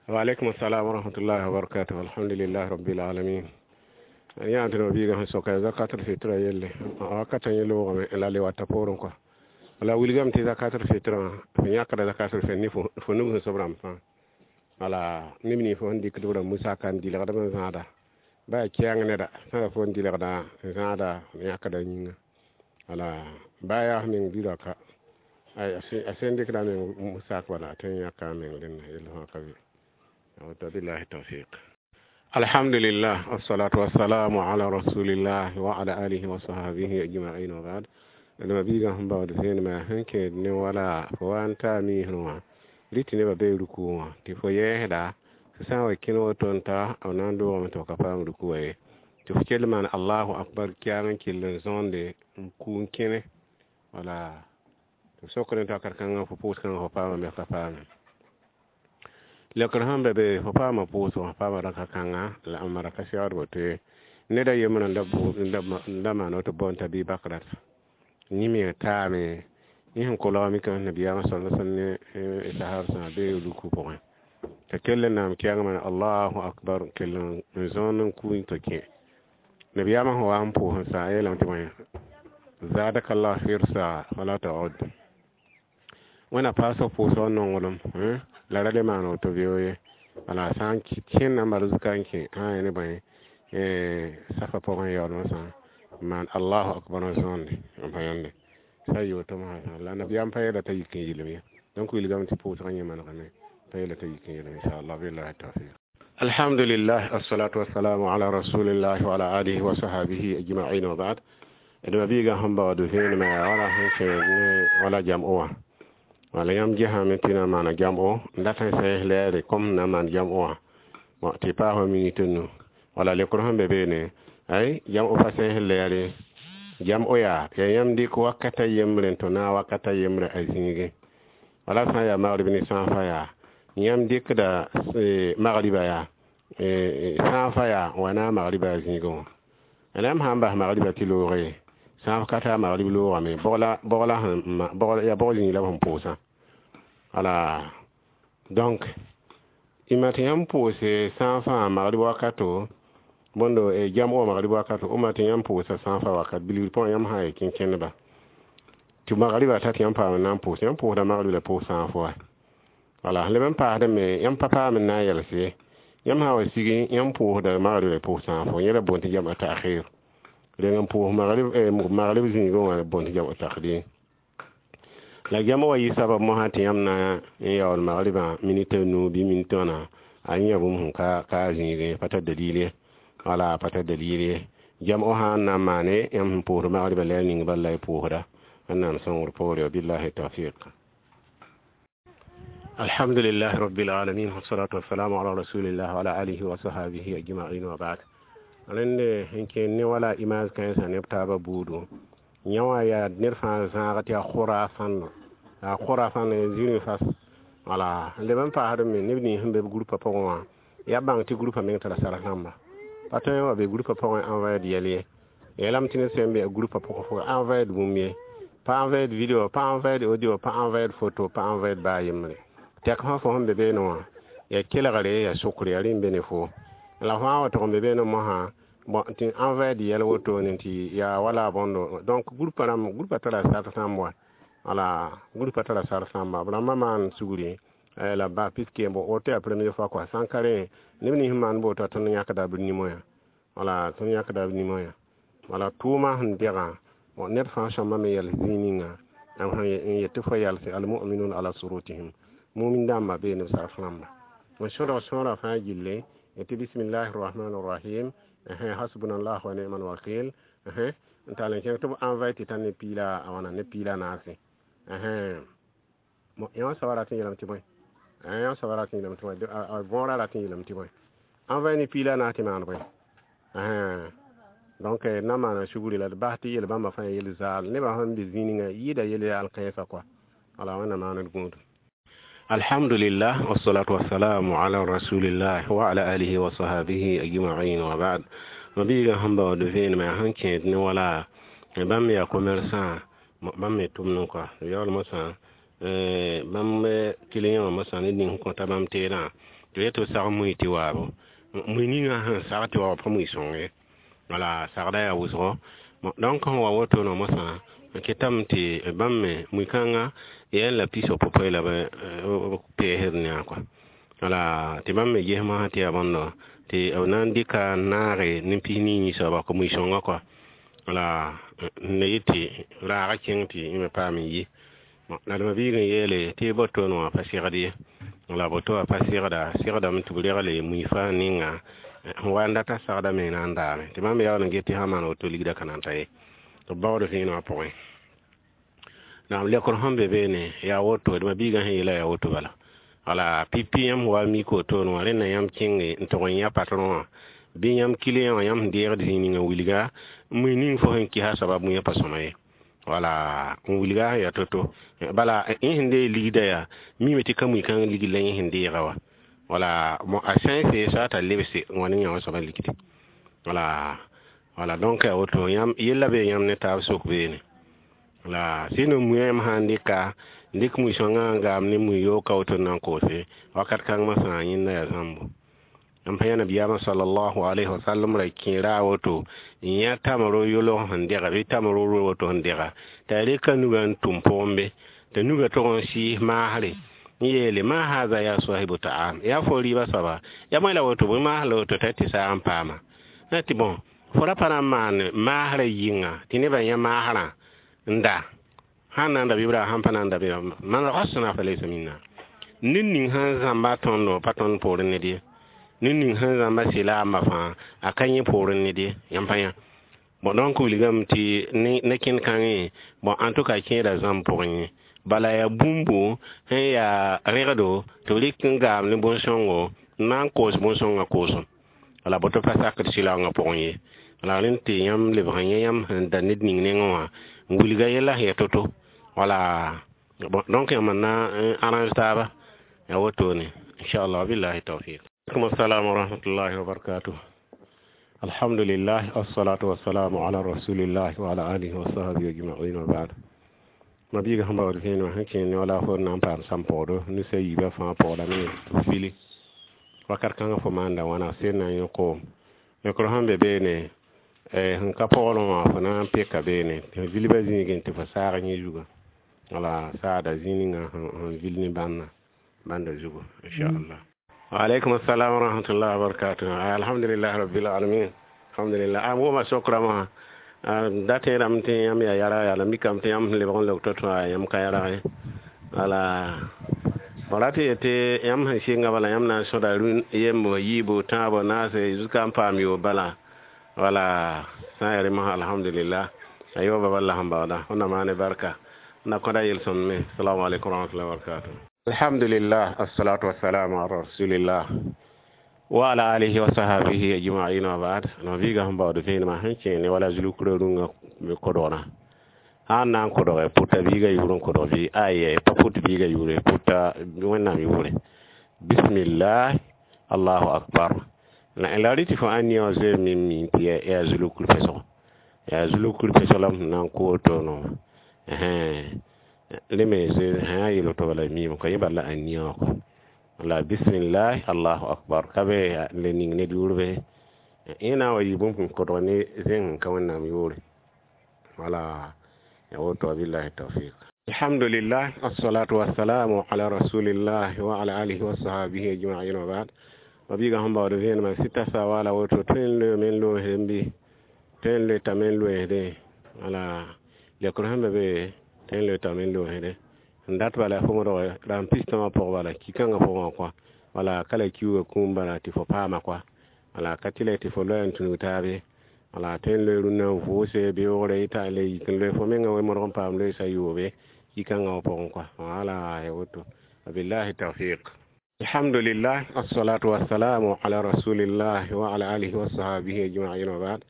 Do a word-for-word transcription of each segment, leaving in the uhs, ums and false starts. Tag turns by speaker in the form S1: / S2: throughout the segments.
S1: Wa alaikum assalam wa rahmatullahi wa barakatuh. Alhamdulillahi rabbil alamin. Yã tɩ biigã sẽn soka zakatul fitra yelle wakatã yẽ loogame la le wata poorẽ kɔa la wilgame tɩ zakatul fitrã fo yãkda zakatul fitr ne fo nug sẽn sob rãmb fãa wala neb nins fo sẽn dɩkd b rãmb musaka n dɩlgd n zãada ba yaa kɛɛng neda sã yaa fo n dɩlgda n zãada yãkda yĩnga wala ba yaa f meng bira ka a sẽn dɩkda a meng musak bala a tõe n yãka a meng rẽnda yell fãa ka be. Billahi tawfiq. Alhamdulillah, wassalatu wassalamu ala rasulillah wa ala alihi wa sahbihi ajma'in, wa ba'd. D mabiigã sẽn baood vẽenemã sẽn kẽed ne wala fo wa n taa miisr wã rɩ tɩ nebã bee ruku wã tɩ fo yɛɛsda sã n wa kẽn woto n ta b na n doogame tɩ f ka paam ruku wã ye tɩ f kell maan allahu akbar kiag n kell n zõonde n ku n kẽne wala tɩ f sokd tɩ wakat kãngã fo pʋʋs kãngã fo paamame f ka paame lekr sẽn be be fo paama pʋʋsg fo paama raka kãnga la m mara ka segd woto ye neda yembrã n da maan woto bõn t'a bɩ bakrat yẽ me taame yẽ sẽn kolg mikame nabiyaamã sala sallam ne sahab sã bee ruku pʋgẽ t'a kell n naam kɛɛng maan allahu akbar kell n zõond n ku n tɩ kẽ nabiyaamã sẽn wa n pʋʋs n sa a yeelame tɩ bõe zadaka llah hirsa wala taud wẽna paas f pʋʋsg nonglem la ra le maan woto beoog ye wala sã n kẽnna n bal zuka n kẽ sã n ne bõe safa pʋgẽ yaool sã n maan allahu akbar n zõonde n pa yãnde sã n yɩ woto mosã la nabiyaam pa yeela t'a yik n yɩlem ye donc wilgame tɩ pʋʋsgã yẽ manegame pa yeela t'a yik n yɩlem inchallah. Billahi tawfiq. Alhamdulillah, assalatu wassalamu ala rasulillah wa ala alihi wa sahbihi ajma'in, wa ba'd. D mabiigã sẽn baood vẽenemã yaa wala sẽn kẽ ne wala jam'o wã wala yãmb gesame tɩ na n maana jam'o n dat n sɛɛs lɛɛre kom sẽn na n maan jam'o wã tɩ paas wa minit nu wala lekr sẽn be beene ay jam'o pa sɛɛs lɛɛre jam'o yaa yaa yãmb dɩk wakata yembre n tõ naag wakata yembre a zĩigẽ wala sã n yaa magrib ne sãafã yaa yãmb dɩkda magriba yaa sãafã yaa n wa naag magriba a zĩigẽ wã la yãmb sã n bas magriba tɩ looge sãaf ka taa magrib loogame bog la yaa bog zĩig la b sẽn pʋʋsã wala donc y ma tɩ yãmb pʋʋse sãafã magrib wakato bõndo jam'o wã magrib wakato uma tɩ yãmb pʋʋsa sãafã wakat bilgr pʋgẽ yãmb sã n yaa kẽn-kẽndba tɩ magriba ta tɩ yãmb paam n na n pʋʋs yãmb pʋʋsda magrib la pʋʋs sãaf wa wala leb n paasdame yãmb pa paam n na n yɛls ye yãmb sã n wa sigi yãmb pʋʋsda magrib la pʋʋs sãafo yẽ la boond tɩ jam'a ta'khir reng n pʋʋs magrib magrib zĩigẽ wã boond tɩ jam'o taqdim la jam'a wa yɩ sabab mosã tɩ yãmb na n yaool magribã minit a nu bɩ minit wãna a yẽ bũmb sẽn ka ka zĩigẽ pa tar dalil ye wala pa tar dalil ye jam'o sã n na n maane yãmb sẽn pʋʋsd magribã la yaa ning bala y pʋʋsda wẽnnaam sõngr poore. Billahi tawfiq. Alhamdulillahi rabbil alamin, wassalatu wassalamu ala rasulillah wa ala alihi wa sahbihi ajma'in, wa ba'd. Rẽnde sẽn kẽen ne wala image kãensã neb taabã buudu yã wã yaa ned fãa zãag tɩ yaa khurafãndo yaa khurafãndo zĩrĩ fas wala leb n paasd me neb nins sẽn be b groupa pʋgẽ wã yaa bãng tɩ groupa meng tara sarf rãmba pa tõe n wa be groupa pʋgẽ envoyer yɛl ye yeelame tɩ ned sẽn be a groupa pʋgẽ fo envoyer bũmb ye pa envoyer vidéo pa envoyer audio pa envoyer photo pa envoyer baa yembre tɛk fãa fo sẽn be beene wã yaa kelgre yaa sʋkre yaa rẽ n be ne fo la fãa wa tʋg n be beene mosã bon tɩ envoyer yɛl wotone tɩ yaa wala bõndo donc groupa rãmb groupa tara sart sãmb wa wala groupa tara sart sãmba b rãmbã maan sugri la ba puisque bon woto yaa première fois quoi sã n ka rẽ neb nins maan boota tõnd yãkda b nimo yã wala tõnd yãkda b nimo yã wala tʋʋma sẽn degã bon ned fãa sõma me yɛls zĩig ninga n yet tɩ fo yalse almuminun ala surutihim mumin dãmbã bee neb sarf rãmba n sõdg sõora fãa gilli tɩ bismillahi rahmani rahim hasbunallah wa ni'mal wakil n tall n kẽng tɩ b envoyer tɩ tã ne piila a wãna ne piila naase yã wã soaba rat n yeelame tɩ bõe yã wã soaba rat n yeelame tɩ bõe võorã rat n yeelame tɩ bõe envoyer ne piila naas tɩ maan bõe donc na maana sugri la d bas tɩ yel bãmba fãa yel zaal nebã sẽn be zĩig ninga yɩɩda yel yaal kãensã kɔa wala wẽnnaam maan d gũudum. Alhamdulillah, wassalatu wassalamu ala rasulillah wa ala alihi wa sahbihi ajma'in, wa ba'd. Mabiigã sẽn baood vẽenemã sẽn kẽed ne wala bãmb yaa commerçant bãmb me tʋmdẽ kɔa yaool mosã Bãmb client wã mosã ned ning sẽn kõta bãmb teedã tɩ b yet tɩ b sag mui tɩ waabo mui ninga sẽn sag tɩ wa pa mui sõng ye wala sagda yaa wʋsgo. Donc sẽn wa woto no mosã n ketame tɩ bãmb me mui-kãngã yaa la pis pʋpẽ la b peesd ne-a kɔa wala tɩ bãmb me ges mosã tɩ yaa bõndo tɩ b na n dɩka n naage ne pis nii soaba kõ mui-sõngã kɔa wala n le yet tɩ raagã kẽng tɩ yẽ me paam n yi. La d ma-biig n yeele tɩ boto wã pa segd ye wala boto wã pa segda segdame tɩ b regle mui fãa ninga sẽn wa n data sagda me na n daame tɩ bãmb yaool n get tɩ sã n maan woto ligdã ka na n ta ye tɩ b baood vẽenegã pʋgẽ. Naam lekr sẽn be beene yaa woto d ma-biigã sẽn yeela yaa woto bala wala pipi yãmb wa mik wotone wã rẽnda yãmb kẽnge n tog n yã patron wã bɩ yãmb client wã yãmb sẽn deegd zĩig ninga wilga mui ning fo sẽn kɩsa soaba mui pa sõma ye wala n wilga sẽn yaa to-to bala yẽ sẽn deeg ligdã yaa mime tɩ ka mui-kãng ligd la yẽ sẽn deega wa wala a sã n see soa t'a lebse n wa ne yã wã soabã ligdi wala wala donc yaa woto yãmb yella bee yãmb ne taab sok beene la sɩd n mui yãmb sã n dɩka n dɩk mui-sõngã n gaam ne mui yooka woto n na n koose wakat kãng mosã yẽnda yaa zãmbo. Yãmb pa yã nabiyaamã sallallahu alayhi wa sallam ra kẽera a woto n yã tamro yolg sẽn dega bɩ tamro woto sẽn dega t'a reka nugã n tʋm pʋgẽ be t'a nugã tog n sɩɩs maasre n yeele ma haza ya sahibu ta'am yaa fo rɩɩbã soaba ya bõe la woto bõe maas la woto t'a tɩ saag n paama tɩ bõn fo ra pa na n maan maasrã yɩnga tɩ nebã yã maasrã n da sãn na n da bɩ sãn pa na n da bɩ man rasna fa laysa minna ned ning sẽn zãmba tõndo pa tõnd poorẽ ned ye ned ning sẽn zãmba sɩla amba fãa a ka yẽ poorẽ ned ye yãmb pa yã. Bon donc wilgame tɩ ne kẽnd kãngẽ bon en tout cas kẽeda zãmb pʋgẽ ye bala yaa bũmbu sẽn yaa rẽgdo tɩ b rɩk n gaam ne bõn-sõngo n na n koos bõn-sõngã koosem wala boto pa sakd sɩlaoongã pʋgẽ ye la rẽnd tɩ yãmb lebg n yẽ yãmb sẽn da ned ning nengẽ wã n wilga yɛla sẽn yaa to-to wala bon donc yãmb n na n arrange taaba yaa wotone inchallah billahi tawfiq. Aleykum assalam wa rahmatullahi wa barakatuh. Alhamdulillah wassalatu wassalamu ala rasulillah wa ala alihi wa sahbihi ajma'in wa ba'd. Ma-biiga sẽn baood vẽenemã sẽn kẽer ne wala fo na n paam sãn-pɔgdo ninsã yiibã fãa pɔgdame tɩ b fili wakat kãngã fo maanda wãna sed na n yõ koom yõkr sẽn be beene sẽn ka pɔgrẽ wã fo na n peka beene tɩ vilbã zĩigẽ tɩ fo saag yẽ zugã wala saada zĩig ninga sẽn vil ne bãnna bãnda zugu inchallah. Waaleykum assalam wa rahmatullah wa barakatuh. Alhamdulillah rabbil alamin alhamdulillah. A wʋma sokrama wã da tẽedame tɩ yãmb yaa yara yaa la mikame tɩ yãmb sẽn lebg n leb to-to yãmb ka yarg ye wala b rat yetɩ yãmb sẽn sɩnga bala yãmb na n sõda yembo yiibu tãabo naase zuka n paam yoob bala wala sã n yaa rẽ mosã alhamdulillah a yooba bal la sẽn baooda wẽnnaam maane barka na kõda yel-sõmd me. Assalamu alaikum warahmatullahi wabarakatuh. Alhamdulillah assalatu wassalamu ala rasulillah wa ala alihi wa sahbihi ajma'in wa ba'd. No biga sẽn baood vẽenemã sẽn kẽer ne wala zulkrã rũngã kodgna sã n na n kodge pʋta biigã yʋʋr n kodg bɩ ay pa pʋt biigã yʋʋre pʋta wẽnnaam yʋʋre bismillah allahu akbar la la rɩ tɩ fo ãn wã zoe me mi tɩ yaa zulukr pesgo yaa zulukr pesg la m na n koo tono rẽ me zoe sã yel woto bala miime kõ yẽ bala la ãn wã kɔ la bismillah allahu akbar ka be le ning ned yʋʋr be yẽ na n wa yɩ bũmb sẽn kodg ne zẽng ka wẽnnaam yʋʋre wala ya woto billahi tawfiq. Alhamdulillah assalatu wassalamu ala rasulillah wa ala alihi wa sahbihi ajma'in wa ba'd. Ma-biigã sẽn baood vẽenemã sɩta sa wala woto tõe n loe men loosdẽ bɩ tõe n loe t'a men loeesdẽ wala lekr sẽn be be tõe n loe t'a men loosdẽ n dat bala fo modg rãmb pistã wã pʋg bala ki-kãngã pʋgẽ wã kɔa wala ka la kiuugã kũum bala tɩ fo paama kɔa wala ka tɩ la tɩ fo loa n tũnug taabe wala tõe n loe rũnnã n vʋʋse beoogre yɩ le yik n loe fo mengã wẽ modg n paam loeesa yoobe ki-kãngã wã pʋgẽ kɔa wala ya woto wabillahi tawfiq. Alhamdulillah assalatu wassalamu ala rasulillah wa ala alihi wa sahbihi ajma'in wa ba'd.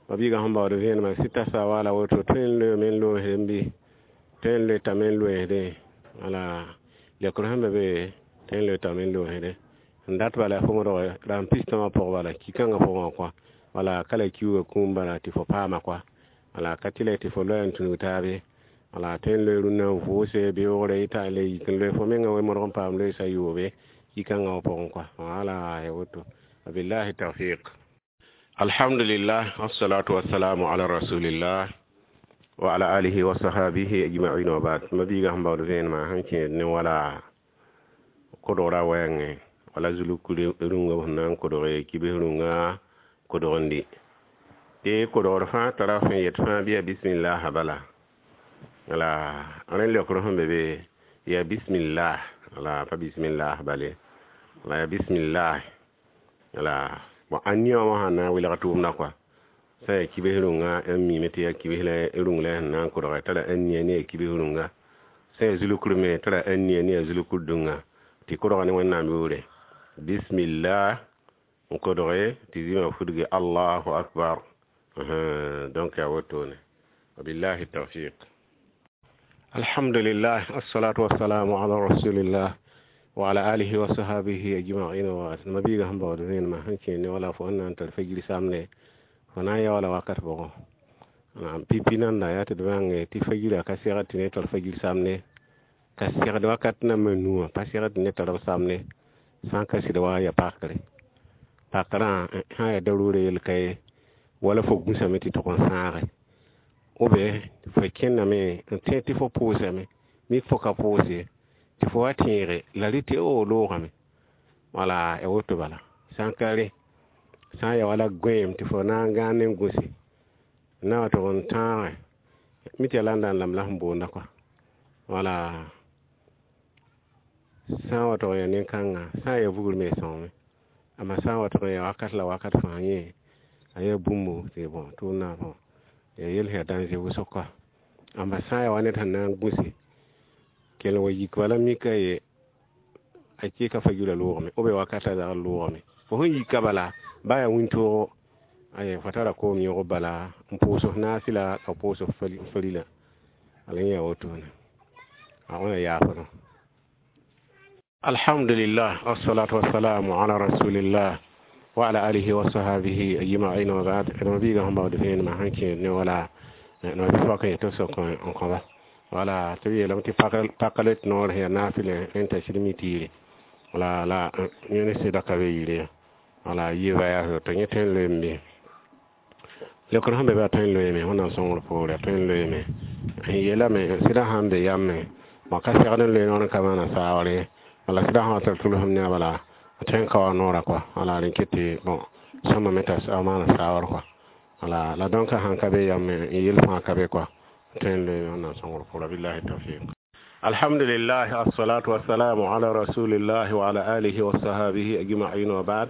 S1: Ma-biigã sẽn baood vẽenemã sɩta sa wala woto tõe n loe men loosdẽ bɩ tõe n loe t'a men loeesdẽ wala lekr sẽn be be tõe n loe t'a men loosdẽ n dat bala fo modg rãmb pistã wã pʋg bala ki-kãngã pʋgẽ wã kɔa wala ka la kiuugã kũum bala tɩ fo paama kɔa wala ka tɩ la tɩ fo loa n tũnug taabe Wala tõe n loe rũnnã n vʋʋse beoogre yɩ le yik n loe fo menga wẽ-modg n paam loeesa yoobe yikãngã wã pʋgẽ kɔa. Wala ya woto. Wabillahi tawfiq. Alhamdulillah, wassalatu wassalamu ala rasulillah wa ala alihi wa sahabihi ajma'in wa ba'd. Mabiiga sẽn baood vẽenemã sẽn kẽed ne wala kodgra wɛɛngẽ wala zuluk rũngã sẽn na n kodge kibs rũngã kodgendi tɩ kodgr fãa tara sẽn yet fãa bɩ yaa bismillah bala. Wala rẽ leokr sẽn be be yaa bismillah, wala pa bismillah bale, wala yaa bismillah. Wala bon a nia wã sãn na n welg tʋʋmdã kɔa sã n yaa kibs rũngã n miime tɩ yaa kibs la rũng la sẽn na n kodge tara n nia ne yaa kibs rũngã, sã n yaa zulukr me tara n nia ne yaa zulukr dũngã tɩ kodga ne Wẽnnaam yʋʋre bismillah n kodge tɩ zĩmã fudge allahu akbar. Donc yaa wotone. Wabillahi tawfiq. Alhamdulillah, assalatu wassalamu ala rasulillah wa ala alihi wa sahabihi ajma'in wa mabiiga sẽn baood vẽenemã sẽn kẽer ne wala fo sẽn na n tar fajir samne fo na n ya wala wakat bʋgẽ. Naam, pipi nanda yaa tɩ d bãnge tɩ fajirã ka segd tɩ ne tar fajir samne, ka segd wakat nambã nuwã pa segd tɩ ne tar b samne sã n ka sɩd wa ya pakre. Pakrã sã n yaa daroorã yel ka ye wala fo gũsame tɩ tʋg n sãage ou bien fo kẽndame n tẽ tɩ fo pʋʋsame mik fo ka pʋʋs ye tɩ fo wa tẽege la rɩ tɩ o loogame. Wala ya woto bala. Sã n ka rẽ sã n ya wala gõeem tɩ fo na n gãan ne gũse na wa tʋg n tãage mi tɩ yaa la n lam la sẽn boonda kɔa. Wala sã n wa tʋg n yaa nin-kãngã sã n yaa vugr me sõngame, amma sã n wa tʋg n yaa wakat la wakat fãa yẽ a yaa bũmb tɩ bõ tʋʋmdã bõ yaa yel sẽn yaa dãnze wʋsg kɔa. Amma sã n yaa wa ned sẽn na n gũse kell wa yik bala mika ye a kɩka fajirã loogame ou bien wakatã zagr loogame, fo sẽn yika bala ba yaa wĩntoogo ay fo tara koom yõgb bala n pʋʋs f naasɩ la ka pʋʋs f farila ala yẽ yaa wotone a wẽna yaafdẽ. Alhamdulillah, wassalatu wassalamu ala rasulillah wa ala alihi wa sahabihi ajma'in wa ba'd. Mabiiga sẽn baood vẽenemã sẽn kẽed ne wala nabi soaka yetɩ sok n kõba. Wala tɩ b yeelame tɩ paka le tɩ noor sẽn yaa naafɩlẽ rẽn t'a sɩd mi tiire wala la yẽ ne sɩda ka be yire wala yiiba yaa tɩ yẽ tõe n loeem be leokr sẽn be be a tõe n loeeme Wẽnnaam sõngr poore a tõe n loeeme n yeelame sɩda sãn be yame ma ka segd n loe noor n ka maana saoore wala sɩda sã wa tar tʋlsem ne a bala a tõe n ka wa noorã kɔa. Wala rẽn ket tɩ bon sõma me t'a maana saoor kɔa. Wala la dõnka sãn ka be yame n yel fãa ka be kɔa tõe n loeeme Wẽnnaam sõngr poore. Billahi tawfiq. Alhamdulillah, assalatu wassalamu ala rasulillah wa ala alihi wa sahabihi ajma'in wa ba'd.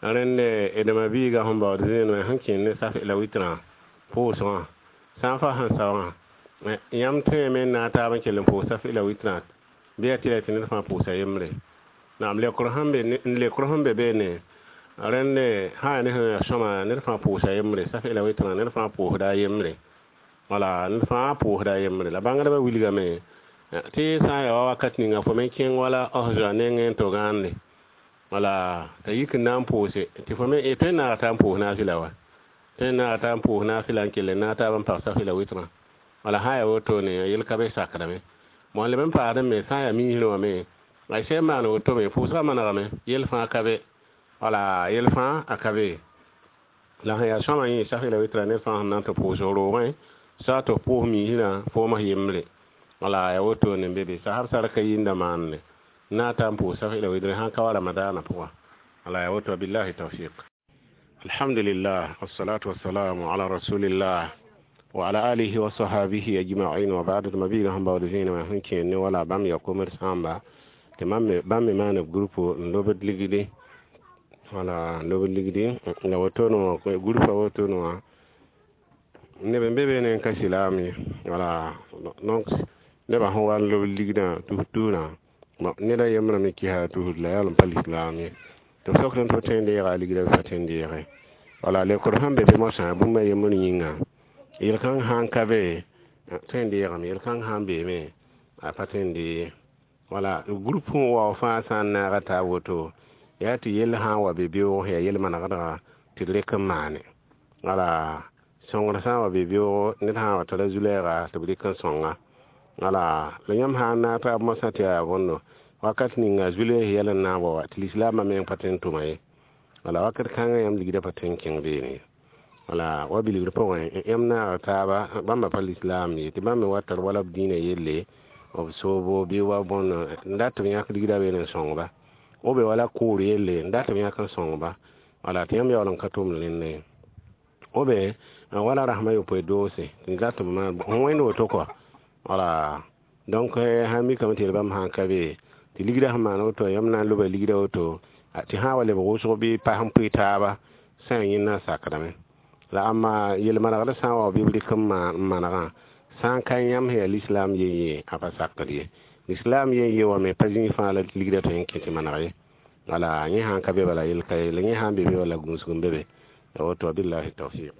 S1: Rẽnd d mabiiga sẽn baood zẽenẽ sẽn kẽer ne saf la witrã pʋʋsgã sã n fa sẽn saoogã yãmb tõeme n na n taab n kell n pʋʋs saf la witrã bɩ yaa tɩ la tɩ ned fãa pʋʋsa yembre. Naam, leokr sẽn be leokr sẽn be beene rẽnd sã n yaa ne sẽn yaa sõma ned fãa pʋʋsa yembre saf la witrã ned fãa pʋʋsda a yembre. Wala ned fãa pʋʋsda a yembre la bãngdbã wilgame tɩ sã n yaa wa wakat ninga fo me kẽng wala f zoa nengẽ n to gãande wala t'a yik n na n pʋʋse tɩ fo me tõe n naaga t'a n pʋʋs naafɩla wa tõe n naaga t'a n pʋʋs naafɩla n kell n naag taab n pag safɩla witrã. Wala sã n yaa wotone yel ka be sakdame bon leb n paasd me sã n yaa miisrẽ wã me a sẽn maan woto me pʋʋsgã manegame yel fãa ka be. Wala yel fãa a ka be la sẽn yaa sõma yẽ safɩla witrã ned fãa sẽn na n tɩ pʋʋs roogẽ sã tɩ f pʋʋs miisrã fooms yembre. Wala yaa wotone n be be sasb sarka yĩnda maande na ta n pʋʋs safɩla witrã sãn ka wa ramadaanã pʋga. Wala yaa woto. Billahi tawfiq. Alhamdulillah, wassalatu wassalamu ala rasulillah wa ala alihi wa sahabihi ajma'in wa ba'd. Mabiiga sẽn baood vẽenemã sẽn kẽer ne wala bãmb yaa komd sãamba tɩ bãmb me maan b groupe n lobd ligdi. Wala n lobd ligdi la wotone wã groupe a wotone wã neb n be beene n ka silaam ye. Wala donc nebã sẽn wa n lob ligdã tus tusrã ned a yembrã me kɩsa tusd la yaa n pa lislaam ye tɩ b sokd n tɩ b tõe n deega a ligdã bɩ pa tõe n deege. Wala leokr sẽn be be mosã bũmb a yembr yĩnga yel-kãng sã n ka be tõe n deegame yel-kãng sã n beeme a pa tõe n dee. Wala groupe n wa fãa sã n naaga taab woto yaa tɩ yell sã n wa be beoog yaa yel-manegdga tɩ d rek n maane. Wala Sõngr sã n wa be beoogo ned sã n wa tara zu-lɛɛga tɩ b dɩk n sõnga. Wala la yãmb sã n naag taab moasã tɩ yaa bõndo wakat ninga zu-lɛɛs yɛl n na n wa wa tɩ lislaambã meng pa tõe n tʋma ye. Wala wakat kãngã yãmb ligdã pa tõe n kẽng beene ye. Wala wa bilgr pʋgẽ yãmb naaga taaba bãmba pa lislaam ye tɩ bãmb me wa tar wala b dĩinã yelle b soobo bɩ wa bõndo n dat tɩ b yãk ligdã beene n sõng-ba. O be wala kʋʋr yelle n dat tɩ b yãk n sõng-ba. Wala tɩ yãmb yaool n ka tʋmd rẽndã ye. O be wala rasem a yopoe doose tɩ dat tɩ b maan wẽnd woto kɔa. Wala donc sã n mikame tɩ yel bãmb sã n ka be tɩ ligdã sẽn maan woto yãmb na n loba ligdã woto tɩ sã n wa lebg wʋsg bɩ pas n pʋɩ taaba sã n yẽnda n sakdame. La ãmba yel-manegr sã n wa bɩ b rɩk n manegã sã n ka yãmb sẽn yaa lislaam yen ye a pa sakd ye. Lislaam yen ye wã me pa zĩig fãa la ligdã tõe n kẽ tɩ maneg ye. Wala yẽ sã n ka be bala yel ka ye la yẽ sã n be be wala gũusg n be be. Ya woto billahi tawfiq.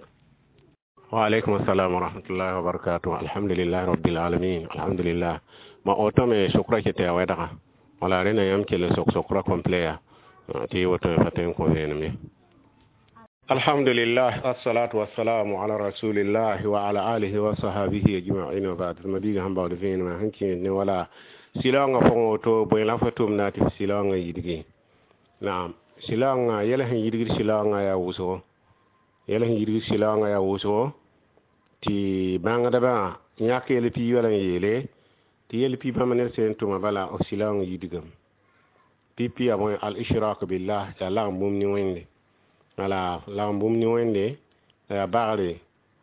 S1: Wa alaikum assalam wa rahmatullahi wa barakatuh. Alhamdulillah rabbil alamin. Alhamdulillah. Ma oto me sokra ke tɩ ya wɛdga. Wala rẽna yãmb kell n sok sokra complet ya tɩ woto me pa tõe n kõ vẽenem ye. Alhamdulillah, assalatu wassalamu ala rasulillah wa ala alihi wa sahabihi ajma'in wa ba'd. Ma biiga sẽn baood vẽenemã sẽn kẽed ne wala sɩlaoongã pʋgẽ woto bõe la fo tʋmda tɩ f sɩlaoongã yidgi. Naam, sɩlaoongã yɛl sẽn yidgd sɩlaoongã yaa wʋsgo. Yɛl sẽn yidgd sɩlaoongã yaa wʋsgo tɩ bãngdbã yãk yel piig wala n yeele tɩ yel pi bãmb ned sẽn tʋma bala f sɩlaoong yidgame. Pipi yaa bõe al-ishrak billah yaa lagem bũmb ne Wẽnde. Wala lagem bũmb ne Wẽnde yaa bagre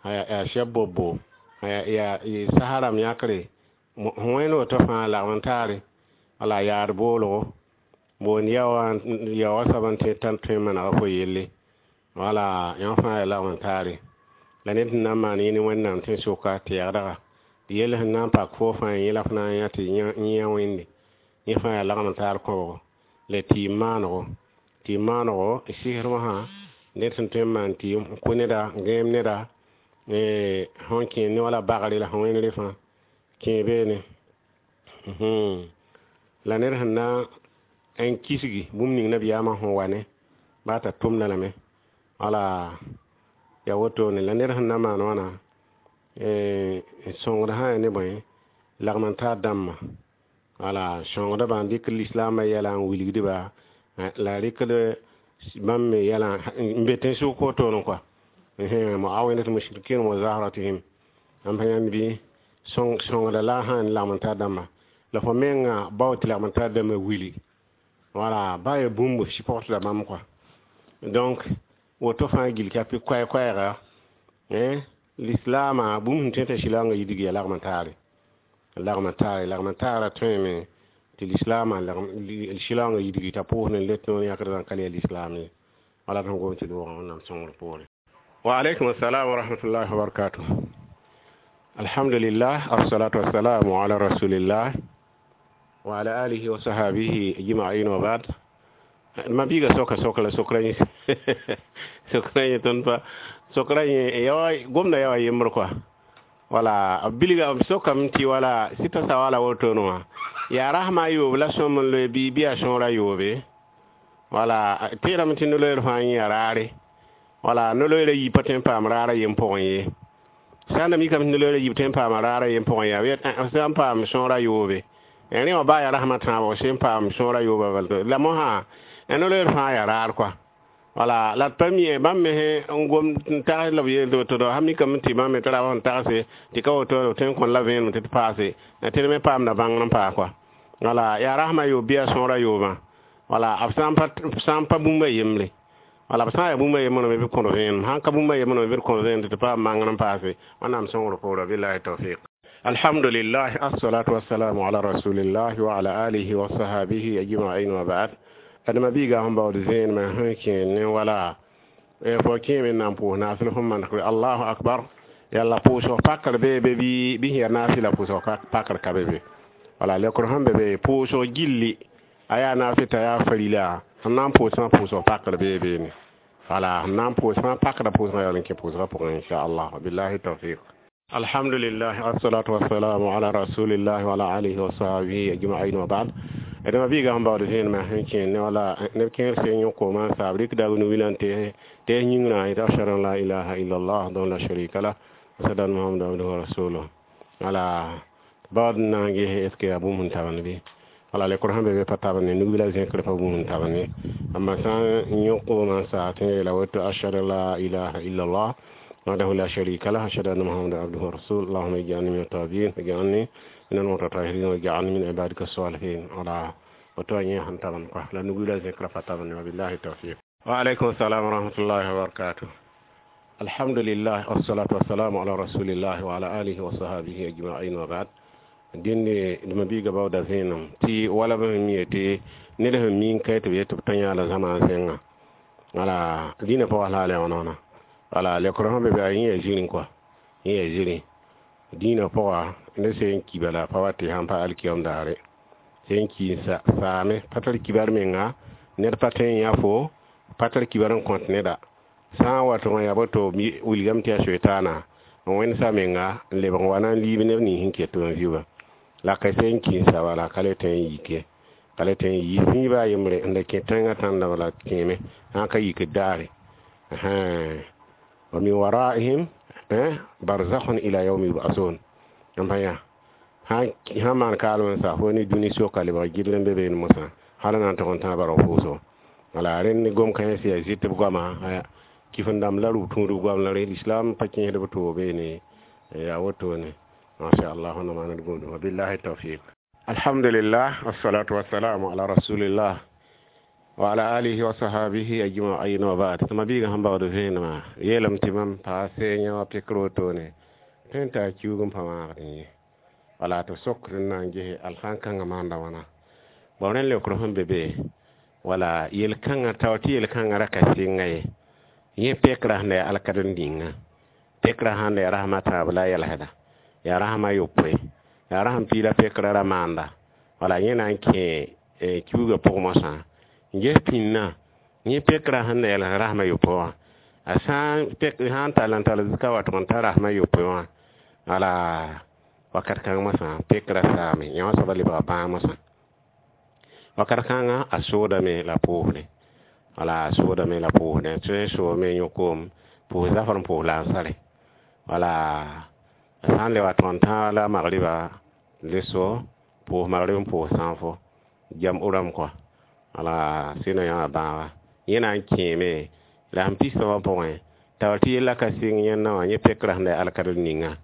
S1: yaa sɛb bobbo yaa sasa rãmb yãkre sẽn wẽnd woto fãa lagem n taare wala yaad boolgo boond yaoowã yaoowã soab n tẽ t'a tõe n manega fo yelle. Wala yãmb fãa yaa lagem n taare. La ned sẽn na n maan yẽ ne Wẽnnaam tẽn-sʋka tɩ yɛgdga tɩ yell sẽn na n pak fo fãa yẽ la f na n yã tɩ yẽ Wẽnde yẽ fãa yaa lagem n taar kõbgo la tɩɩm maanego tɩɩm maanego sɩsr wãsã ned sẽn tõe n maan tɩɩm n kʋ neda n gãeem neda sẽn kẽ ne wala bagre la sẽn wẽnd fãa kẽ beene. La ned sẽn na n kisgi bũmb ning nabiyaamã sẽn wa ne baa t'a tʋmda lame. Wala ya wotone la ned sẽn na maan wãna n sõngd sã yaa ne bõe lagem n taar dãmbã. Wala sõngdbã n dɩk lislaambã yɛla n wilgdba la rɩkd bãmb me yɛlã n be tẽn-sʋk wotone kɔa. Muawidat mushrikin wa zahratihim bãmb pa yãnd bɩ sõngda la sã n lagem n taar dãmbã la fo menga bao tɩ lagem n taar dãmbã wili. Wala ba yaa bũmb sɩpgtda bãmb kɔa. Donc woto fãa gill ka pɩ koɛɛ-koɛɛga lislaamã bũmb sẽn tõe t'a sɩlaoongã yidg yaa lagem n taare. Lagem n taare lagem n taarã tõeme tɩ lislaamã sɩlaoongã yidgi t'a pʋʋs ne let noor yãkd n ka le yaa lislaam ye. Wala tõnd gom tɩ doogã Wẽnnaam sõngr poore. Wa alaikum assalam wa rahmatullahi wa barakatuh. Alhamdulillah, assalatu wassalamu ala rasulillah wa ala alihi wa sahabihi ajma'in wa ba'd. Ma biiga soka soka la sokra yẽ sokra yẽ tõnd pa sokra yẽ yawa gomda yawa yembr kɔa. Wala b bilga b sokame tɩ wala sɩta sa wala wotone wã yaa rasma a yoob la sõm n loe bɩ bɩ yaa sõor a yoobe. Wala tẽedame tɩ no-loeer fãa yẽ yaa raare. Wala no-loeerã yiib pa tõe n paam raarã yem pʋgẽ ye. Sã n da mikame tɩ no-loeerã yiib tõe n paama raarã yem pʋgẽ yaa sã n paam sõor a yoobe. Rẽ wã baa yaa rasmã tãabo sẽn paam sõor a yoobã bal la mosã no-loeer fãa yaa raar kɔa. Wala la d pa mi bãmb me n gom n tags la b yeel tɩ woto sã mikame tɩ bãmb me tɩ ra n tagse tɩ ka woto tõe n kõn la vẽenem tɩ d paase tɩ d me paamda bãngr n paa kɔa. Wala yaa rasmã yoob bɩ yaa sõor a yoobã. Wala b sã n pa bũmb a yembre. Wala b sã n yaa bũmb a yembre me bɩ b kõd vẽenem sãn ka bũmb a yembre me bɩ d kõd vẽenem tɩ tɩ paam bãngr n paase. Wẽnnaam sõngr poorã billahi tawfiq. Alhamdulillah, assalatu wassalamu ala rasulillah wa ala alihi wa sahabihi ajma'in wa ba'd. Adama biiga sẽn baood vẽenemã sẽn kẽed ne wala fo kẽeme n na n pʋʋs naasl fõn maneg Allahu akbar yalla pʋʋsg pakr bee be bɩ sẽn yaa naafɩla pʋʋsg pakr ka be be. Wala lekr sẽn be be pʋʋsg gilli a yaa naafɩ t'a yaa farila sẽn na n pʋʋsmã pʋʋsg pakr bee beene. Wala sẽn na n pʋʋsmã pakda pʋʋsgã yaool n kẽ pʋʋsgã pʋgẽ inchallah billahi tawfiq. Alhamdulillah, assalatu wassalamu ala rasulillah wa ala alihi wa sahbihi ajma'in wa ba'd. d mabiiga sẽn baood vẽenemã sẽn kẽ ne wala neb kẽer seen yõ-koomã n saab rɩkda nu-wilã n tees yĩngrã yetɩ ashhadu an la ilaha illallah wahdahu la sharika lah ashhadu anna muhammadan abduhu wa rasuluh wala baood n na n ges est ce que yaa bũmb sẽn tabend bɩ wala lekr sẽn be be pa tabend ne nug-bilã zẽkr pa bũmb sẽn tabend ye amma sã n yõ koomã n saas tɩ yeela woto ashhadu an la ilaha illallah وحده لا شريك له أشهد أن محمدا عبده ورسوله اللهم اجعلني من التوابين واجعلني من المتطهرين واجعلني من عبادك الصالحين ولا وتواني هنتبن لا نقول ذكر فتبن وبالله التوفيق وعليكم السلام ورحمة الله وبركاته الحمد لله والصلاة والسلام على رسول الله وعلى آله وصحبه أجمعين وبعد dẽnde d mabiiga baooda vẽenem tɩ wala b sẽn mi yetɩ ned sẽn mi n ka tɩ b yet tɩ b tõe yãala zãma n sẽnga wala dĩnã pʋgã la a le wãna wala lekr sẽn be be a yẽ yaa zirẽ kɔa yẽ yaa zirẽ dĩinã pʋga ned sẽn ki bala pa wa tɩ sãn pa alkiyam daare sẽn ki n saame pa tar kibar menga ned pa tõe n yã fo pa tar kibar n kõt neda sã n wat wã yaa boto wilgame tɩ yaa soetaana n wẽnsa menga n lebg n wa na n liib neb nins sẽn ket n vɩ wã la ka sẽn ki n sa wala ka le tõe n yike ka le tõe n yi sĩiba a yembre n da kẽ tẽngã tãnda bala kẽeme sã ka yikd daare wa min waraihim barzakhun ila yawmi yub'asun n pa yã sã maan kaalem n sa fo ne dũni soka lebg gɩdl n be beene mosã hal n na n tog n tãag barg pʋʋsgo wala rẽnd gom kãens yaa zɩt b goama kifẽn-dãmb la rʋ tũudb goam la rẽ lislam pa kẽesd b toog beene yaa wotone masha allah wẽnnaam maan d gũudum wabillahi tawfiq alhamdulillah wassalatu wassalamu ala rasulillah wa ala alihi wa sahabihi ajma'in wa ba'd tɩ mabiigã sẽn baood vẽenemã yeelame tɩ mam paa seenya wa pekr wotone tõe n taa kiuug n pa maagdẽ ye wala tɩ sokd n na n gese alsãn-kãngã maanda wãna bao rẽnd leokr sẽn be be wala yel-kãngã tao tɩ yel-kãngã ra ka sɩnga ye yẽ pekra sẽn da yaa alkadem dĩnga pekra sãn da yaa rasem a tãab la a yɛlsda yaa rasem a yopoe yaa rasem piila pekra ra maanda wala yẽ na n kẽ kiuugã pʋg mosã n ges pĩnnã yẽ pekra sẽn da yɛls rasem a yopoe wã a sã n sã n tall n tall ka wa tʋg n ta rasem a yopoe wã wala wakat kãng mosã pekra saame yã wã soaba lebga bãag mosã wakat kãngã a soodame la pʋʋsde wala a soodame la pʋʋsde tõe n soome yõ-koom pʋʋs zafr n pʋʋs lansare wala a sã n le wa tʋg n tãag la magriba le so pʋʋs magrib n pʋʋs sãafo jam rãmb kɔa wala sɩna yã wã bãaga yẽ na n kẽeme la sẽn pis wã pʋgẽ t'a tɩ yella ka sɩng yẽnna wã yẽ pekra sẽn da yaa alkadem ninga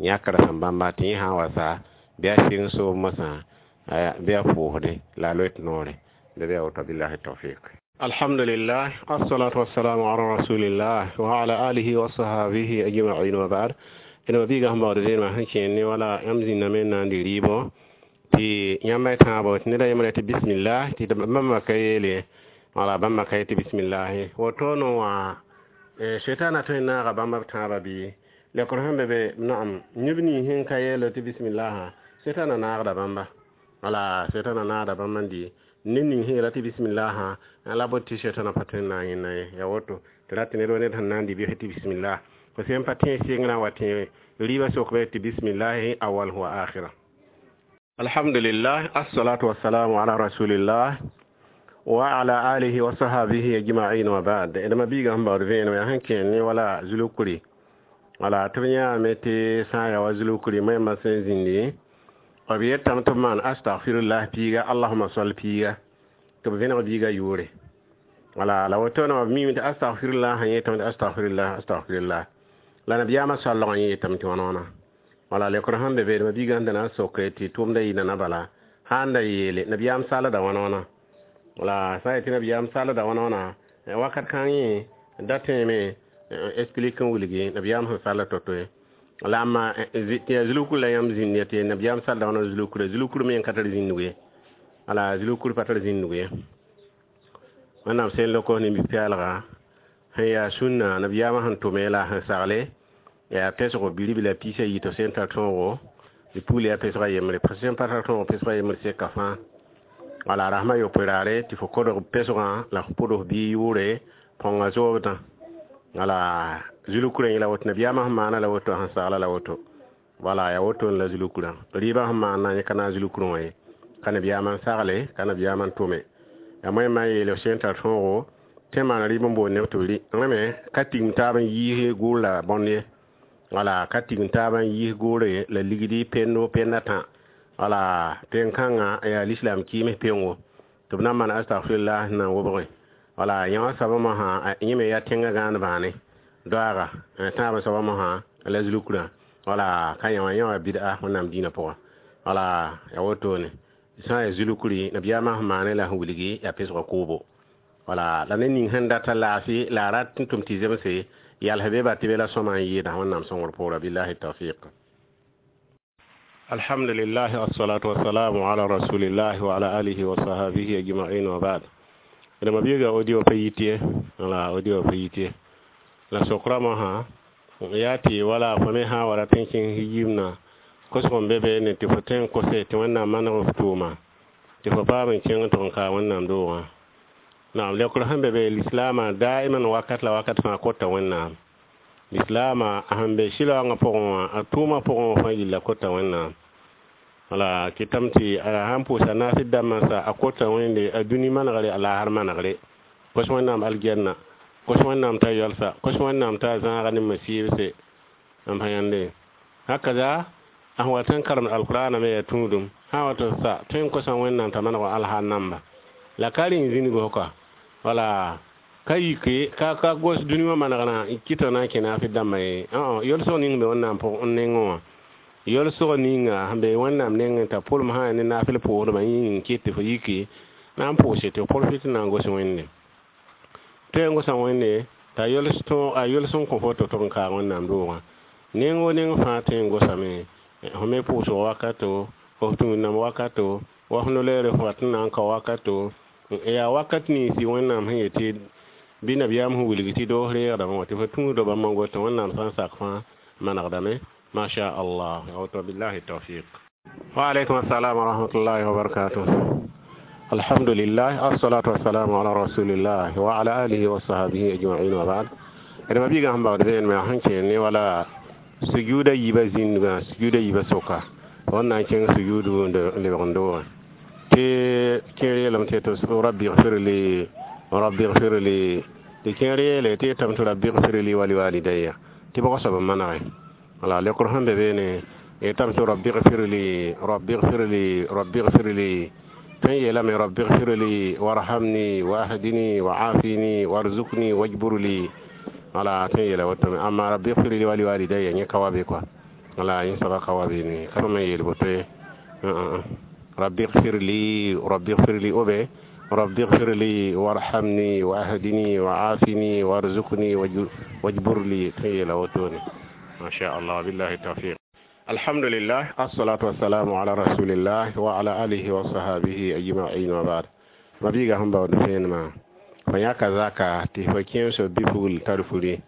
S1: yãkra sẽn bãmba tɩ yẽ sã n wa sa bɩ a sɩng soom mosã bɩ a pʋʋsde la a loet noore la bɩ a woto billahi tawfiq alhamdulillah assalatu wassalamu ala rasulillah wa ala alihi wa sahabihi ajma'in wa ba'd d mabiigã sẽn baood vẽenemã sẽn kẽer ne wala yãmb zĩnname n na n dɩ rɩɩbõ tɩ yãmb y tãabo tɩ neda yembre tɩ bismillah tɩ bãmba ka yeele wala bãmba ka yetɩ bismillahi wotoone wã soetaana tõe n naaga bãmba b tãabã bɩ lekr sẽn be be naam neb nins sẽn ka yeel tɩ bismillaha soetaana naagda bãmba wala soetaana naagda bãmba n dɩ ned ning sẽn yeela tɩ bismillaha la bot tɩ soetaana pa tõe n na n yẽnna ye ya woto tɩ rat tɩ ned wa ned sẽn na n dɩ bɩs tɩ bismillah fo sẽn pa tẽ sɩngrã wa tẽ rɩɩbã sokb tɩ bismillahi awal wa akhira alhamdulillah assalatu wassalamu ala rasulillah wa ala alihi wa sahabihi ajma'in wa ba'd d mabiigã sẽn baood vẽenem yaa sẽn kẽer ne wala zulukuri wala tɩ b yãame tɩ sã n yaa wa zulukuri maimã sẽn zĩndi b yetame tɩ b maan astagfirullah piiga allahuma sol piiga tɩ b vẽneg biigã yʋʋre wala la wotone b mime tɩ astagfirullah sã yetame tɩ astagfirullah astagfirullah la nabiyaamã soalg n yetame tɩ wãna wãna wala lekr sẽn be be d mabiigã sẽn da na n sokre tɩ tʋʋmda yɩ nana bala sã n da yeele nabiyaam salda wãna wãna wala sã n yetɩ nabiyaam salda wãna wãna wakat kãng yẽ da tẽeme explique n wilgi nabiyaam sẽn sall to-to ye la amma tɩ yaa zulukr la yãmb zĩnd ya tɩ nabiyaam salda wãna zulukra zulukr me n ka tar zĩndg ye wala zulukr pa tar zĩndg ye wẽnnaam sẽn lok nin-peɛɛlga sẽn yaa sũnna nabiyaamã sẽn tʋme la sẽn sagle yaa pesgo biribla piis a yi tɩ sẽn tar tõogo tɩ pugl yaa pesga yembre sẽn pa tar tõog pesga yembre seka fãa wala rasmã yopoe raare tɩ fo kodg pesgã la fo pʋds bii yʋʋre põnga zoobdã wala zulukurã yẽla woto nabiyaamã sẽn maana la woto sẽn sagla la woto wala yaa woto la zulukurã rɩɩbã sẽn maana yẽ ka naag zulukurã wã ye Ka nabiyaamã n sagle, ka nabiyaamã n tʋme. Yaa moẽmã n yeele sẽn tar tõogo tɩ n maan rɩɩb n boond neb tɩ b rɩ. Rẽ me ka tigim taab n yiis gʋʋr la bõnd ye. Wala ka tigim taab n yiis gʋʋre la ligdi pendo penda tã. Wala pẽn-kãngã yaa lislaam kɩɩms pengo tɩ b na n maan astagfirullah n na n wobge. Wala yã wã soabã mosã yẽ me yaa tẽngã gãand bãane doaaga tãab soabã mosã la zulukrã. Wala ka yã wã yã wã bid'a Wẽnnaam dĩinã pʋgã. Wala yaa wotone sã n yaa zulukri nabiyaamã sẽn maane la sẽn wilgi yaa pesgã koobo. Wala la ned ning sẽn data laafɩ la a rat n tʋm tɩ zemse yals be ba tɩ be la sõma n yɩɩda Wẽnnaam sõngr poorã billahi tawfiq. Alhamdulillah, wassalatu wassalamu ala rasulillah wa ala alihi wa sahbihi ajma'in wa ba'd. Dama biiga audio pa yit ye, wala audio pa yit ye. La sokra mosã yaa tɩ wala fo me sã n wa rat n kẽng yimna kosg n be be ne tɩ fo tõe n kose tɩ Wẽnnaam maneg f tʋʋma tɩ fo paam n kẽng tɩ n kaa Wẽnnaam doogã. Naam, leokr sẽn be be lislaamã daiman wakat la wakat fãa kota Wẽnnaam. Lislaamã sẽn be sɩlaoongã pʋgẽ wã, a tʋʋmã pʋgẽ wã fãa yilla kota Wẽnnaam. Wala kɩtame tɩ a sãn pʋʋsa naasd dãmbã sa a kota Wẽnde a dũni manegre a laasr manegre. Kos Wẽnnaam aljanna, kos Wẽnnaam t'a yalsa, kos Wẽnnaam t'a zãaga ne masɩɩbse n pa yãnde. Hakaza a sẽn wat n karemd alkʋraanã me yaa tũudum. Sã n wat n sa tõe n kosa Wẽnnaam t'a maneg alhaar namba. La ka rẽ zĩnig ka. Wala ka yike ka ka gos dũni wã manegrã n kɩt na n kẽ naafɩ dãmbã ye. Yolsg ning be Wẽnnaam pʋgẽ n nengẽ wã. Yolsg ninga sẽn be Wẽnnaam nengẽ t'a pʋlem sã ne naafɩl pʋʋsdbã yĩng n kɩt tɩ fo yiki na n pʋʋse tɩ f profit n na n gos Wẽnde. Tõe n gosa Wẽnde t'a yols a yols n kõ fo tɩ f tʋg n kaag Wẽnnaam doogã. Neng o neng fãa tõe n gosame fo me pʋʋsg wakato, f tũud-nãmb wakato, wa f no-leere f wat n na n kao wakato. Yaa wakat ninsi Wẽnnaam sẽn yetɩ bɩ nabiyaam sẽn wilg tɩ doos reegdame wã tɩ fo tũudã bãmb n gota Wẽnnaam sã n sak fãa manegdame. Ma sha Allah, woto billahi tawfiq. Wa alaykum assalam wa rahmatullahi wa barakatuh. Alhamdulillah, assalatu wassalamu ala rasulillah wa ala alihi wa sahbihi ajma'in wa ba'd. Dama biiga sẽn bagd vẽenemã sẽn kẽ ne wala sujuuda yiibã zĩndgã, sujuuda yiibã soka wẽn na n kẽng sujuudu n lebg n doogẽ tɩ kẽer yeelame tɩ tɩ rabbi gfir li, rabbi gfir li, tɩ kẽer yeele tɩ yetame tɩ rabbi gfir li wa liwalidaya tɩ bʋg soab n manege. Wala leokr sẽn be beene yetame tɩ rabbi gfir li, rabbi gfir li, rabbi gfir li, tõe n yeelame rabbi gfir li warhamni wahdini waafini warzukni wajbur li. Wala tõe n yeela wotome. Amma rabbi gfir li wa liwalidaya yẽ ka wa be kɔa. Wala yẽ soaba ka wa beene ka bãmb n yeel boto ye. Rabbi gfir li, rabbi gfir li obe rabbi gfir li warhamni wahdini waafini warzukni wajbur li, tõe n yeela wotone. Ma sha Allah, billahi tawfiq. Alhamdulillah, assalatu wassalamu ala rasulillah wa ala alihi wa sahbihi ajma'in wa ba'd. Mabiiga sẽn baood vẽenemã fo yãka zaka tɩ fo kẽemsg bi-pugl tar furi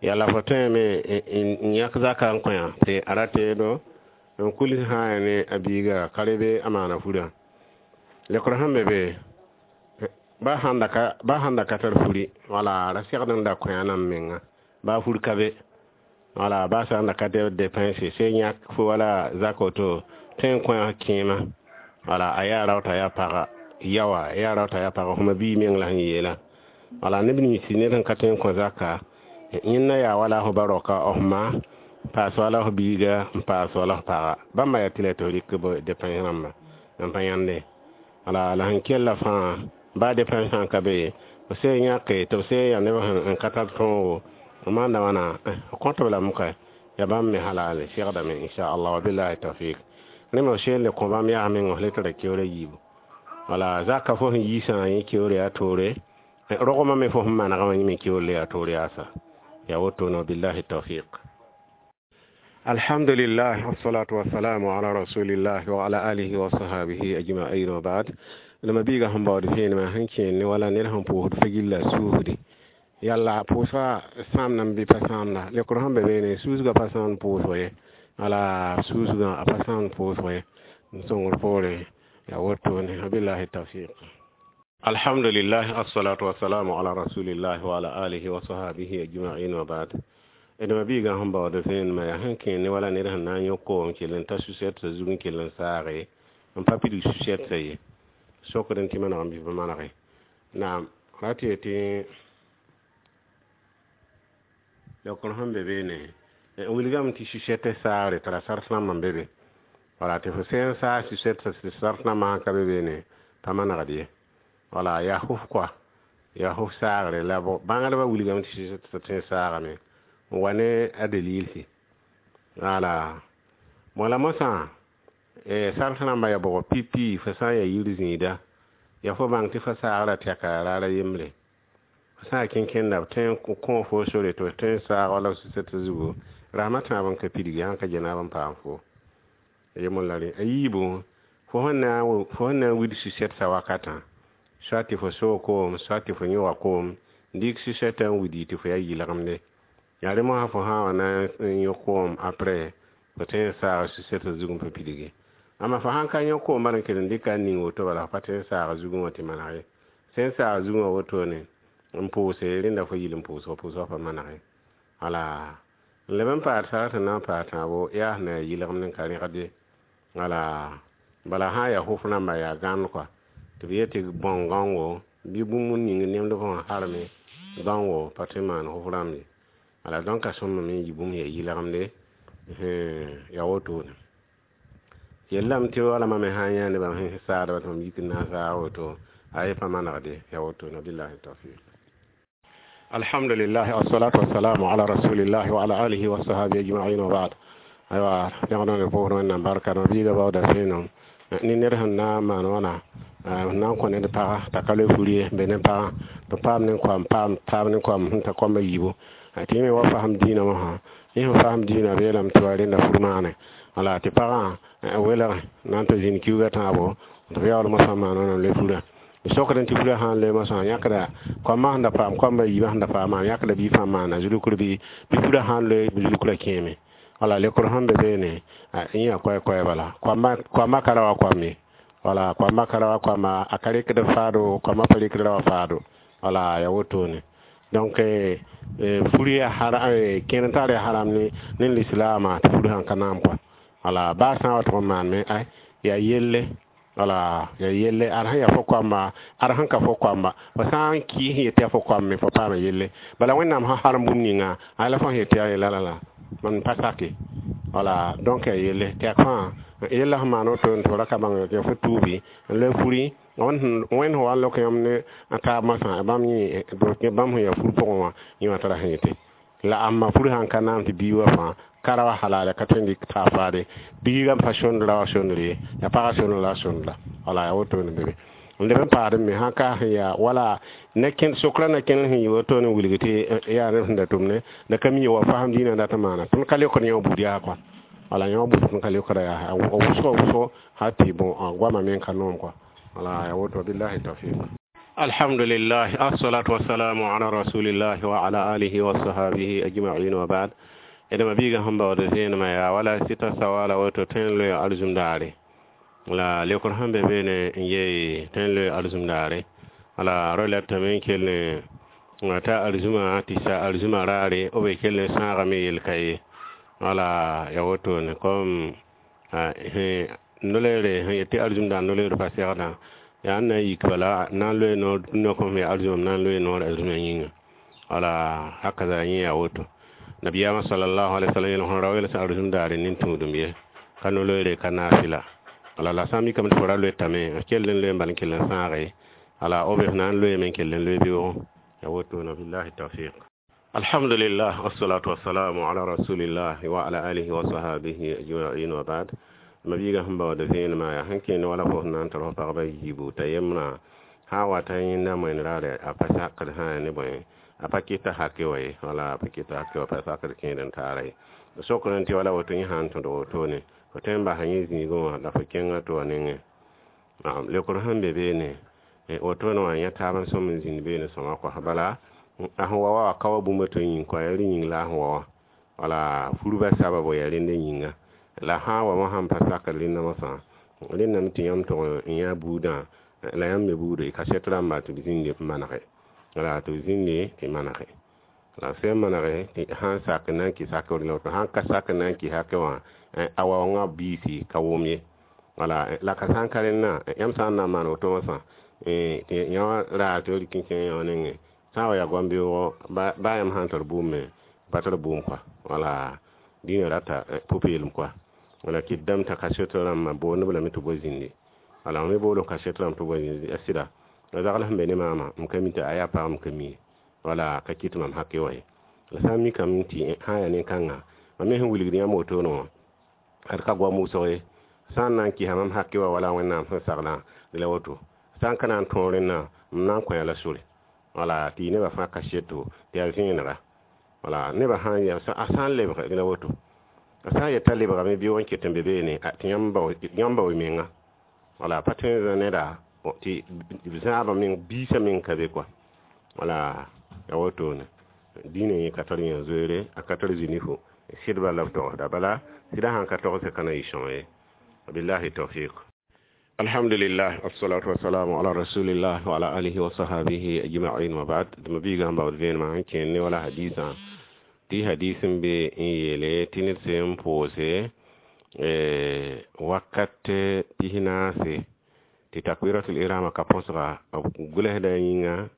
S1: yala fo tõeme n yãk zaka n kõ tɩ a ra teedo n kuls sã n ne a biiga ka rebe a maana furã. Leokr sẽn be be ba sãn da ka ba sãn da ka tar furi wala ra segd n da kõ a nan menga ba fur ka be. Wala ba sã n da ka depẽnse se yãk fo wala zak woto tõe n kõ kẽema. Wala a yaa rao t'a yaa paga yawa, a yaa rao t'a yaa paga fõma bii meng la sẽn yeela. Wala neb nins ned sẽn ka tõe n kõ zaka yẽnda yaa wala f ba raoka f ma paas wala f biiga n paas wala f paga bãmba yaa tɩ la tɩ f rɩk b depẽns rãmba n pa yãnde. Wala la sẽn kella fãa ba depẽns sã n ka be f sẽn yãke tɩ b sẽn yaa neb sẽn ka tar tõogo f maanda wãna f kõt b lame ka yaa bãmb me halal segdame inshallah wa billahi tawfiq. Rẽ me f seen le kõ bãmb yaa meng f le tara keoora yiibu. Wala zaka fo sẽn yiisã yẽ keoor yaa toore, rogmã me fo sẽn manegã wã yẽ me keoor le yaa toor yaasa. Yaa wotone billahi tawfiq. Alhamdulillah, wassalatu wassalamu ala rasulillah wa ala alihi wa sahbihi ajma'in wa ba'd. Lama biiga sẽn baood vẽenemã sẽn kẽer ne wala ned sẽn pʋʋsd fa-gilla suusde yalla pʋʋsga sãamda n bɩ pa sãamda. Leokr sẽn be beene suusgã pa sãamd pʋʋsg ye. Wala suusgã a pa sãamd pʋʋsg ye n sõngr poore yaa wotone billahi tawfiq. Alhamdulillah, assalatu wassalamu ala rasulillah wa ala alihi wa sahbihi ajma'in wa ba'd. Dama biiga sẽn baood vẽenemã yaa sẽn kẽer ne wala ned sẽn na n yõk koom kell n ta susɛt t'a zug n kell n saage n pa pidig su-sɛtsa ye sokd n tɩ manegame bɩ pa manege naam ra tɩ yetɩ leokr sẽn be beene n wilgame tɩ su-sɛt saagre t'a ra sars rãmb n be be wala tɩ fo sẽn saag su-sɛt tɩ sars rãmbã sãn ka be beene pa manegd ye wala yaa fʋf koa yaa fʋf saagre la bãngdbã wilgame tɩ su-sɛt tõe n saagame n wa ne a dalilsi wala wala mosã sars rãmbã yaa bʋgɔ pipi fo sã n yaa yir zĩida yaa fo bãng tɩ fo saagra tɛka raara yembre fo sã n yaa kẽnkẽnda b tõe n kõ fo sore tɩ f tõe n saag wala su-sɛt zugu rasmã tãab n ka pidgi sãn ka genaab n paam fo yembr la rẽ a yiibu fo sẽn na fo sẽn na n wid su-sɛtsa wakatã soit tɩ fo soog koom soit tɩ fo yõga koom n dɩk su-sɛtã n widi tɩ fo yaa yɩlgemde yaa rẽ mosã fo sã wa na n yõ koom après fo tõe n saaga su-sɛtã zug n pa pidgi amma fo sãn ka yõ koom bala n kell n dɩka n ning woto bala fo pa tõe n saaga zugẽ wã tɩ maneg ye sẽn saag zugẽ wã wotone n pʋʋse rẽnda fo yɩl n pʋʋsg pʋʋsgã pa manege wala n leb n paad sag tɩ na n paad tãabo yaa sẽn na yaa yɩlgemd n ka rẽgd ye wala bala sã n yaa fʋf rãmba yaa gãnd kɔa tɩ b yet tɩ bãong gãongo bɩ bũmb ning nemd fo sẽn harme gãongo pa tõe n maan fʋf rãmb ye wala donc a sõmame n yɩ bũmb yaa yɩlgemde yaa wotone yellame tɩ wala mam me sã n yã nebã sẽn saadba tɩ mam yik n na n saag woto ay pa manegde yaa wotone billahi tawfiq alhamdulillah wassalatu wassalamu ala rasulillah wa ala alihi wa sahbihi ajma'in wa ba'd aywa yãgd pʋgr wẽnnaam barka no biiga baooda fẽenem ne ned sẽn na n maan wãna n na n kõ ned paga t'a ka loe fur ye n be ne pagã tɩ paam ne koam paam taab ne koam sẽn ta koamba yiibu tɩ yẽ me wa fasem dĩinã mosã yẽ sẽn fasem dĩinã beelame tɩ wa rẽnda fur maane wala tɩ pagã welg na n tɩ zĩnd kiuugã tãabo tɩ b yaool mosã maan wãna n loe furã sokd tɩ furã sã n loe mosã yãkda koambã sẽn da paam koamba yiibã sẽn da paamã yãkda bɩ fãa maana zulukr bɩ bɩ furã sã n loe zulukrã kẽeme wala lekr sẽn be beene yẽ yaa koɛ-koɛ bala koambã ka ra wa koam ye wala koambã ka ra wa koama a ka rɩkd faado koambã pa rɩkd ra wa faado wala yaa wotone donc fur yaa kẽer n tar yaa haram ne ne lislaamã tɩ fur sãn ka naam kɔa wala baa sã n wa tʋg n maan ay yaa yelle wala yaa yelle ad sẽn yaa fo koamba ad sẽn ka fo koamba fo sã n kɩɩs sẽn yet yaa fo koam me fo paama yelle bala wẽnnaam sẽn harem bũmb ninga ay la fo sẽn yet yaa yella la la mam pa sake wala donc yaa yelle tɩ yaa fãa yella sẽn maan woto tɩ f ra ka bãng tɩ fo tuubi n loe furi wẽnd sẽn wa n lok yãmb ne a taab masã bãmb yẽ bãmb sẽn yaa fur pʋgẽ wã yẽ wã tara sẽn yete la ãmba fur sãn ka naam tɩ bii wa fãa ka ra wa halala ka tõe n dɩk taa faade biigã pa sõnd ra wa sõndr ye yaa pagã sõnd la a sõnd la wala yaa wotone be be n leb n paad me sãn ka sẽn yaa wala ne sokrã na kẽnd sẽn yɩ wotone n wilg tɩ yaa neb sẽn da tʋmne la ka mi wa fasem dĩinã dat n maana tõnd ka leokd yã buud yaa kɔa wala yã buud tõnd ka leokda yaa wʋsgo wʋsgo hal tɩ bõ goamã me n ka noom kɔa wala yaa woto billahi tawfiq alhamdulillah assalatu wassalamu ala rasulillah wa ala alihi wa sahabihi ajma'in wa ba'd edma biiga sẽn baood zẽenemã yaa wala sɩta sawala woto tõe n loe arzũm daare la lekr sẽn be beene n yee tõe n loe arzũm daare wala rolatame n kell ne t'a arzũmã tɩ sa arzũmã raare b be kell n sãagame yel ka ye wala ya wotone comme noleere sẽn yet tɩ arzũm daar noleer pa segdã yaa n na n yik bala na n loe noor dũnna kõm yaa arzũmã na n loe noor arzũmã yĩnga wala hakaza yẽ yaa woto nabiyama sallallahu alaihi wasallam yel sẽn ra wels arzũm daare nin-tũudum ye ka no-loeere ka naafɩla wala la sã n mikame tɩ fo ra loetame f kell n loe n bal n kell n sãage wala b f na n loeeme n kell n loe beoogo ya wotone billahi tawfiq alhamdulillah wassalatu wassalamu ala rasulillah wa ala alihi wa sahabihi ajma'in wa ba'd ma biiga sẽn baood vẽenemã yaa sẽn kẽend wala fo sẽn na n tar fo pagba yiibu t'a yembrã sã n wata yẽnda moen raare a pa sakd sã ne bõe a pa kɩta hake wa ye wala a pa kɩta hake wa pa sakd kẽed n taara ye sokr n tɩ wala woto yẽ sã n tõd wotone fo tõe n basa yẽ zĩigẽ wã la fo kẽnga tɩ wa nengẽ lekr sẽn be beene wotone wã yã taab n sõm n zĩnd beene sõma kɔs bala a sẽn wa wa ka wa bũmba tɩ yĩng kɔa yaa rẽ yĩng la a sẽn wa wã wala furba sababo yaa rẽnd yĩnga la sã n wa mosã n pa sakd rẽnda mosã rẽndame tɩ yãmb tʋg n yã buudã la yãmb me buudo kasɛt rãmba tɩ b zĩnde manege wala tɩ b zĩnde tɩ manege la sẽn manege tɩ sãn sak n na n kɩs hakẽ la woto sãn ka sak n na n kɩs hakẽ wã a waoongã biisi ka wʋm ye Wala la ka sã n ka rẽnna, yãmb sã n na n maan woto wã fãa, tɩ yã raag tɩ d kẽ kẽngã wã nengẽ sã n wa yaa goam-beoogo, baa yãmb sã n tar bʋʋm me pa tar bʋʋm kɔa. Wala dĩinã rata pʋ-peelem kɔa. Wala kɩt dãmb t'a kaset rãmbã boond b lame tɩ b wa zĩndi. Wala me bool kaset rãmb tɩ b wa zĩndi a sɩda la zagl sẽn be ne maamã, m ka mi tɩ a yaa pag, m ka mi ye. Wala ka kɩt mam hake wã ye. La sã n mikame tɩ sã n yaa nin-kãnga, mam me sẽn wilgd yãmb wotone wã, ad ka goam wʋsg ye. Sã n na n kɩsa mam hake wã wala Wẽnnaam sẽn saglã, la woto. Sã n ka na n tõog rẽnnã, m na n kõ-a la sore. Wala tɩ yɩ nebã fãa kaseto tɩ yaa vẽenega. Wala nebã sã n yaa a sã n lebg la woto. A sã n yet t'a lebgame bɩ wa n ket n be beene, tɩ yãmb bao y menga. Wala pa tõe n zã neda tɩ zãabã meng biisã meng ka be kɔa. Wala ya wotone. Dĩinã yẽ ka tar yã zoeere, a ka tar zĩnifo. Sɩdba la b togsda. Bala sɩda sãn ka togsẽ ka na yɩ sõng ye. Billahi tawfiq. Alhamdulillah, wassalatu wassalamu ala rasulillah wa ala alihi wa sahbihi ajma'in wa ba'd. Dama biiga sẽn baood vẽenemã sẽn kẽend ne wala hadisã, tɩ hadis n be n yeele tɩ ned sẽn pʋʋse wakat pis-naase tɩ takbiratul ihrama ka põsga, b gʋlsda yĩnga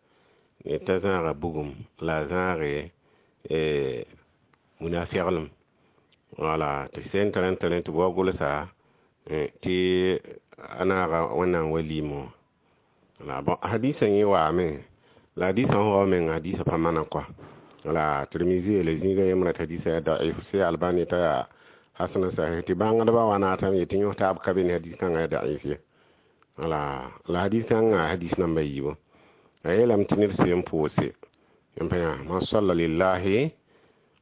S1: t'a zãaga bugum la a zãage munaseglem. Wala tɩ sẽn tar n tarẽ tɩ b wa gʋlsa tɩ a naaga Wẽnnaam wa liimẽ wã. La bon, hadisã yẽ waame, la hadisã sẽn wa menga hadisã pa mana kɔa. Wala Tirmizi yeele zĩigã yembrã tɩ hadisã yaa da'if, sɩ Albani t'a yaa hasan sahih, tɩ bãngdbã wa naatame yetɩ yõs taab ka be ne hadis kãngã yaa da'if ye. Wala la hadis kãngã hadis namba yiibu. A yeelame tɩ ned sẽn pʋʋse n pa yã man salla lillahi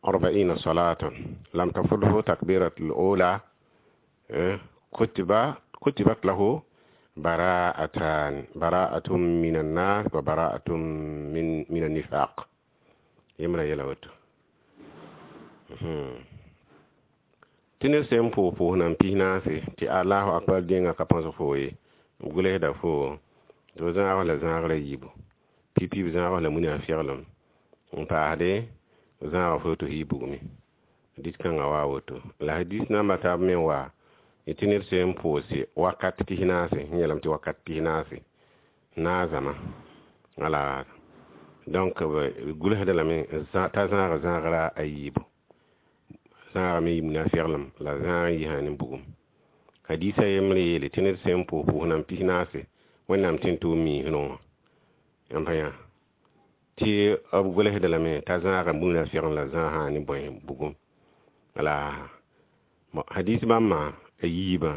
S1: arba'ina salatan lam tafuthu takbiratul ula kutiba kutibat lahu bara'atan, bara'atun min annar wa bara'atun min min annifaq. Yembrã yɛla woto. Tɩ ned sẽn pʋʋs pʋʋs nan pis-naase tɩ Allahu akbar dẽnga ka põsg foo ye, b gʋlsda foo tɩ b zãag la zãagrã yiibu. Pipi b zãag la munaafɩglem n paasde b zãaga fo tɩ f yɩ bugmẽ. Hadis kãngã waa woto. La hadis namba taab me n waa tɩ ned sẽn pʋʋse wakat pis-naase, sẽn yeelame tɩ wakat pis-naase naazãma. Wala donc b gʋlsda lame t'a zãaga zãagrã a yiibu. Zãaga me yɩ munaafɩglem la zãag n yisã ne bugum. Hadisã yembre yeele tɩ ned sẽn pʋʋs pʋʋs nan pis-naase Wẽnnaam tẽn tʋʋm miisrẽ wã. Yãmb pa yã tɩ b gʋlsda lame t'a zãaga munaafɩglem la zãag sã ne bõe bugum. Wala hadis bãmbã a yiibã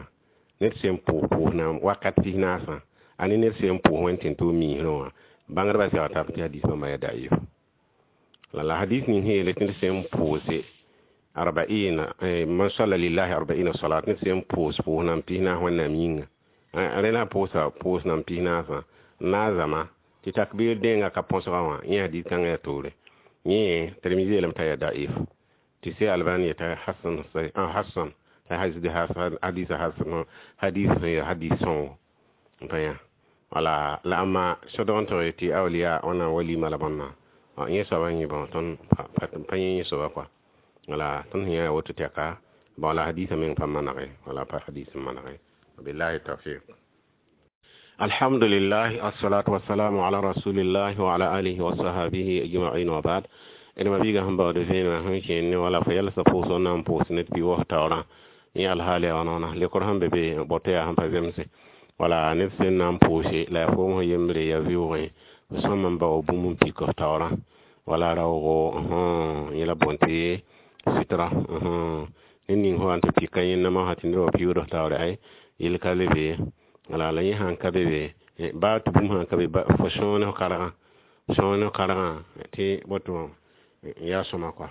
S1: ned sẽn pʋʋs pʋʋs nan wakat pis-naasã, a ne ned sẽn pʋʋs Wẽnd tẽn tʋʋm miisrẽ wã, bãngdbã segl tab tɩ hadis bãmba yaa da'if. La la hadis ning sẽn yeele tɩ ned sẽn pʋʋse arba'ina, man salla lillahi arba'ina salat, ned sẽn pʋʋs pʋʋs nan pis-naas Wẽnnaam yĩnga, rẽ la pʋʋsa pʋʋs nan pis-naasã naazãma tɩ takbir dẽnga ka põsga wã, yẽ hadis kãngã yaa toore. Yẽ Tirmizi yeelame t'a yaa da'if, tɩ sɩ Albani yeta hasan, hasan t'a hadis hasan, hadis sẽn yaa hadis sõngo n pa yã. Wala la ãmba sodg n tog tɩ awliya Wẽnnaam wa lima la bõnna, yẽ soabã yẽ bõ tõnd pa yẽ yẽ soaba kɔa. Wala tõnd sẽn yã woto tɛka, bon la hadisã meng pa manege, wala pa hadis n manege. Billahi tawfiq. Alhamdulillah, assalatu wassalamu ala rasulillah wa ala alihi wa sahbihi ajma'in wa ba'd. D ma biiga sẽn baood vẽenemã sẽn kẽend ne wala fo yɛlsa pʋʋsg na n pʋʋs ned pɩ waos taoorã, yẽ alhaal yaa wãna lekr sẽn be be bɔtɔ yaa sẽn pa zemse. Wala ned sẽn na n pʋʋse la yaa foom sẽn yembre yaa vɩʋʋgẽ, f sõm n bao bũmb n pik f taoorã, wala raoogo yẽ la bõn tɩ sɩtra ned ning fo wa n tɩ pika yẽnna masã tɩ ned wa piuud f taoore ay yell ka le be. Wala la yẽ sãn ka be be, baa tɩ bũmb sãn ka be, fo sõog ne f kargã, sõog ne f kargã tɩ woto yaa sõma kɔa.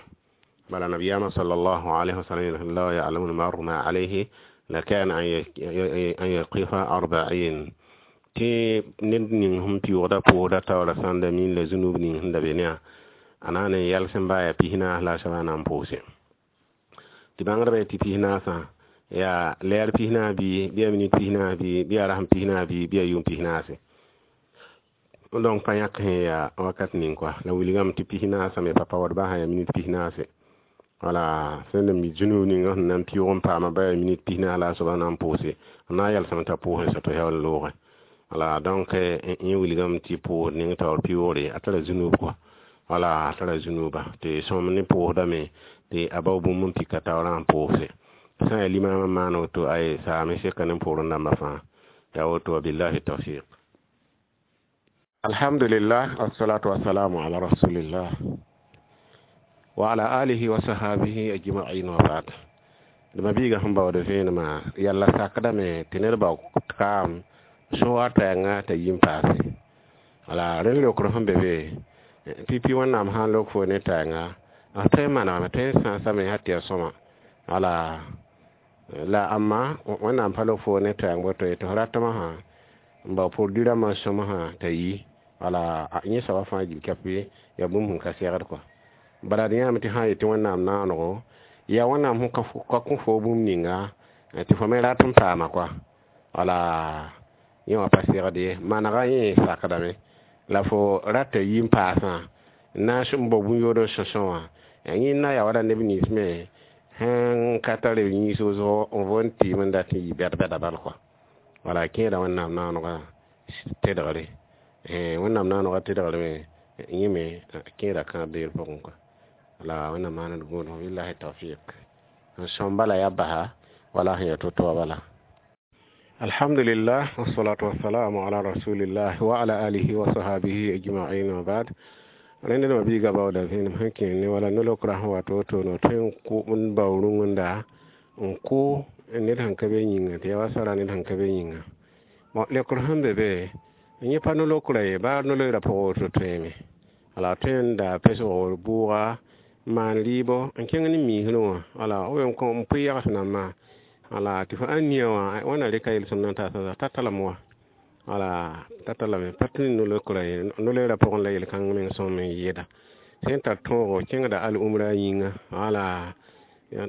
S1: Bala nabiyaamã sallallahu alayhi wa sallam la ya'lamu al-mar'u ma alayhi lakana an yaqifa arba'in, tɩ ned ning sẽn pɩʋʋgda pʋʋsda taoorã sãn da min la zũnub ning sẽn da be ne a a na n yɛls n baa yaa pis-naas la a soabã na n pʋʋse. Tɩ bãngdbã yetɩ pis-naasã yaa lɛɛr pis-naas bɩ, bɩ yaa minit pis-naas bɩ, bɩ yaa rasem pis-naas bɩ, bɩ yaa yʋʋm pis-naase. Donc pa yãk sẽn yaa wakat ning kɔa. La wilgame tɩ pis-naasã me pa paood baa sã yaa minit pis-naase. Wala sẽn da mi zũnub ninga sẽn na n pɩʋg n paama ba yaa minit pis naas la a soaba na n pʋʋse n na n yalsame t'a pʋʋsẽ sa to yaool loogẽ. Wala donc yẽ wilgame tɩ pʋʋsd ning taoor pɩʋʋgre a tara zũnub kɔa. Wala a tara zũnuba tɩ sõm ne pʋʋsdame tɩ a bao bũmb n pika taoorã n pʋʋse. Sã n yaa limaamã n maan woto ay saame seka ne pʋʋrẽ dãmbã fãa yaa woto. Wabillahi tawfiq. Alhamdulillah, wassalatu wassalamu ala rasulillah wa ala alihi wa sahabihi ajma'in wa ba'd. Dama biiga sẽn baood vẽenemã yalla sakdame tɩ ned bao kaam so-wa tɛɛngã t'a yi n paase. Wala rẽnd leokr sẽn be be pipi Wẽnnaam sã n lok fo ne tɛɛnga a tõe n manegame, tõe n sãasame sã tɩ yaa sõma. Wala la ãmba Wẽnnaam pa lok fo ne tɛɛng woto ye tɩ f ratmã sã n bao produit rãmbã sõm sã t'a yi. Wala yẽ soaba fãa gil kape yaa bũmb sẽn ka segd kɔa. Bala d yãame tɩ sã n yetɩ Wẽnnaam naanego yaa Wẽnnaam sẽn ka kõ fo bũmb ninga tɩ fo me rat n paama kɔa. Wala yẽ wã pa segd ye, manega yẽ sakdame la fo rata yi n paasã n na n bao bũn-yood n sõsõ wã yẽ na yaa wala neb nins me sẽn ka tar b yĩns wʋsgo n von tɩɩm n dat n yɩ bɛd-bɛda bal kɔa. Wala kẽeda Wẽnnaam naanegã tedgre, Wẽnnaam naanegã tedgr me yẽ me kẽeda kãab beer pʋgẽ kɔa. Wala Wẽnnaam maand gũudum. Billahi tawfiq. N sõm bala yaa basa wala sẽn yaa to-to wã bala. Alhamdulillah, wassalatu wassalamu ala rasulillah wa ala alihi wa sahabihi ajma'in wa ba'd. Rẽnd dẽma biiga baooda vẽenem sẽn kẽ ne wala no-lokra sẽn wat woto no tõe n kʋ n bao rũngenda n kʋ ned sẽn ka be yĩnga tɩ yaa wa sara ned sẽn ka be yĩnga. Bon, leokr sẽn be be yẽ pa no-lokra ye, baa no-loeera pʋgẽ woto tõeme. Wala tõe n da pesg bʋʋga n maan rɩɩbo n kẽng ne miisrẽ wã. Wala b n pʋɩ yags nambã wala tɩ fo ãn nia wã wãna rɩka yel-sõmd n taasa ta talame wa. Wala ta talame pa tɩ no-lokra ye, no-loeera pʋgẽ la yel-kãng meng sõm n yɩɩda sẽn tar tõogo kẽngda al-umra yĩnga. Wala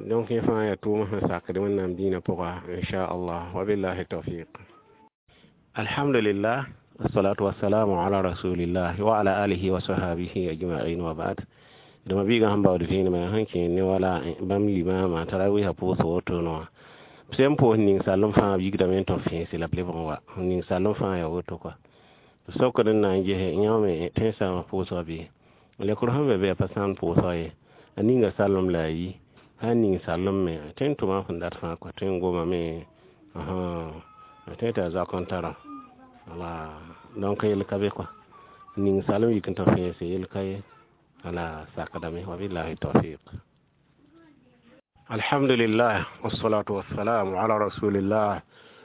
S1: donc yẽ fãa yaa tʋʋm sẽn sakd Wẽnnaam dĩinã pʋga, inchallah. Wabillahi tawfiq. Alhamdulillah, wassalatu wassalamu ala rasulillah wa ala alihi wa sahabihi ajma'in wa ba'd. Dama biiga sẽn baood vẽenemã sẽn kẽ ne wala bãmb limaamã tarawiisã pʋʋsg woto wã sẽn pʋʋs ning sallem fãa b yigdame n tɩ b fẽese la b lebg n wa ning sallem fãa yaa woto kɔa. Sokd n na n ges yã me tõe n saama pʋʋsga bɩ lekr sẽn be be a pa sãam pʋʋsga ye, a ninga sallem la a yi sã n ning sallem me tõe n tʋma sẽn dat fãa kɔa, tõe n gomame tõe tɩ a zoak n tara. Wala donc yel ka be kɔa, ning sallem yik n tɩ fẽese yel ka ye. Wala sakdame. Wabillahi tawfiq. Alhamdulillah, wassalatu wassalamu ala rasulillah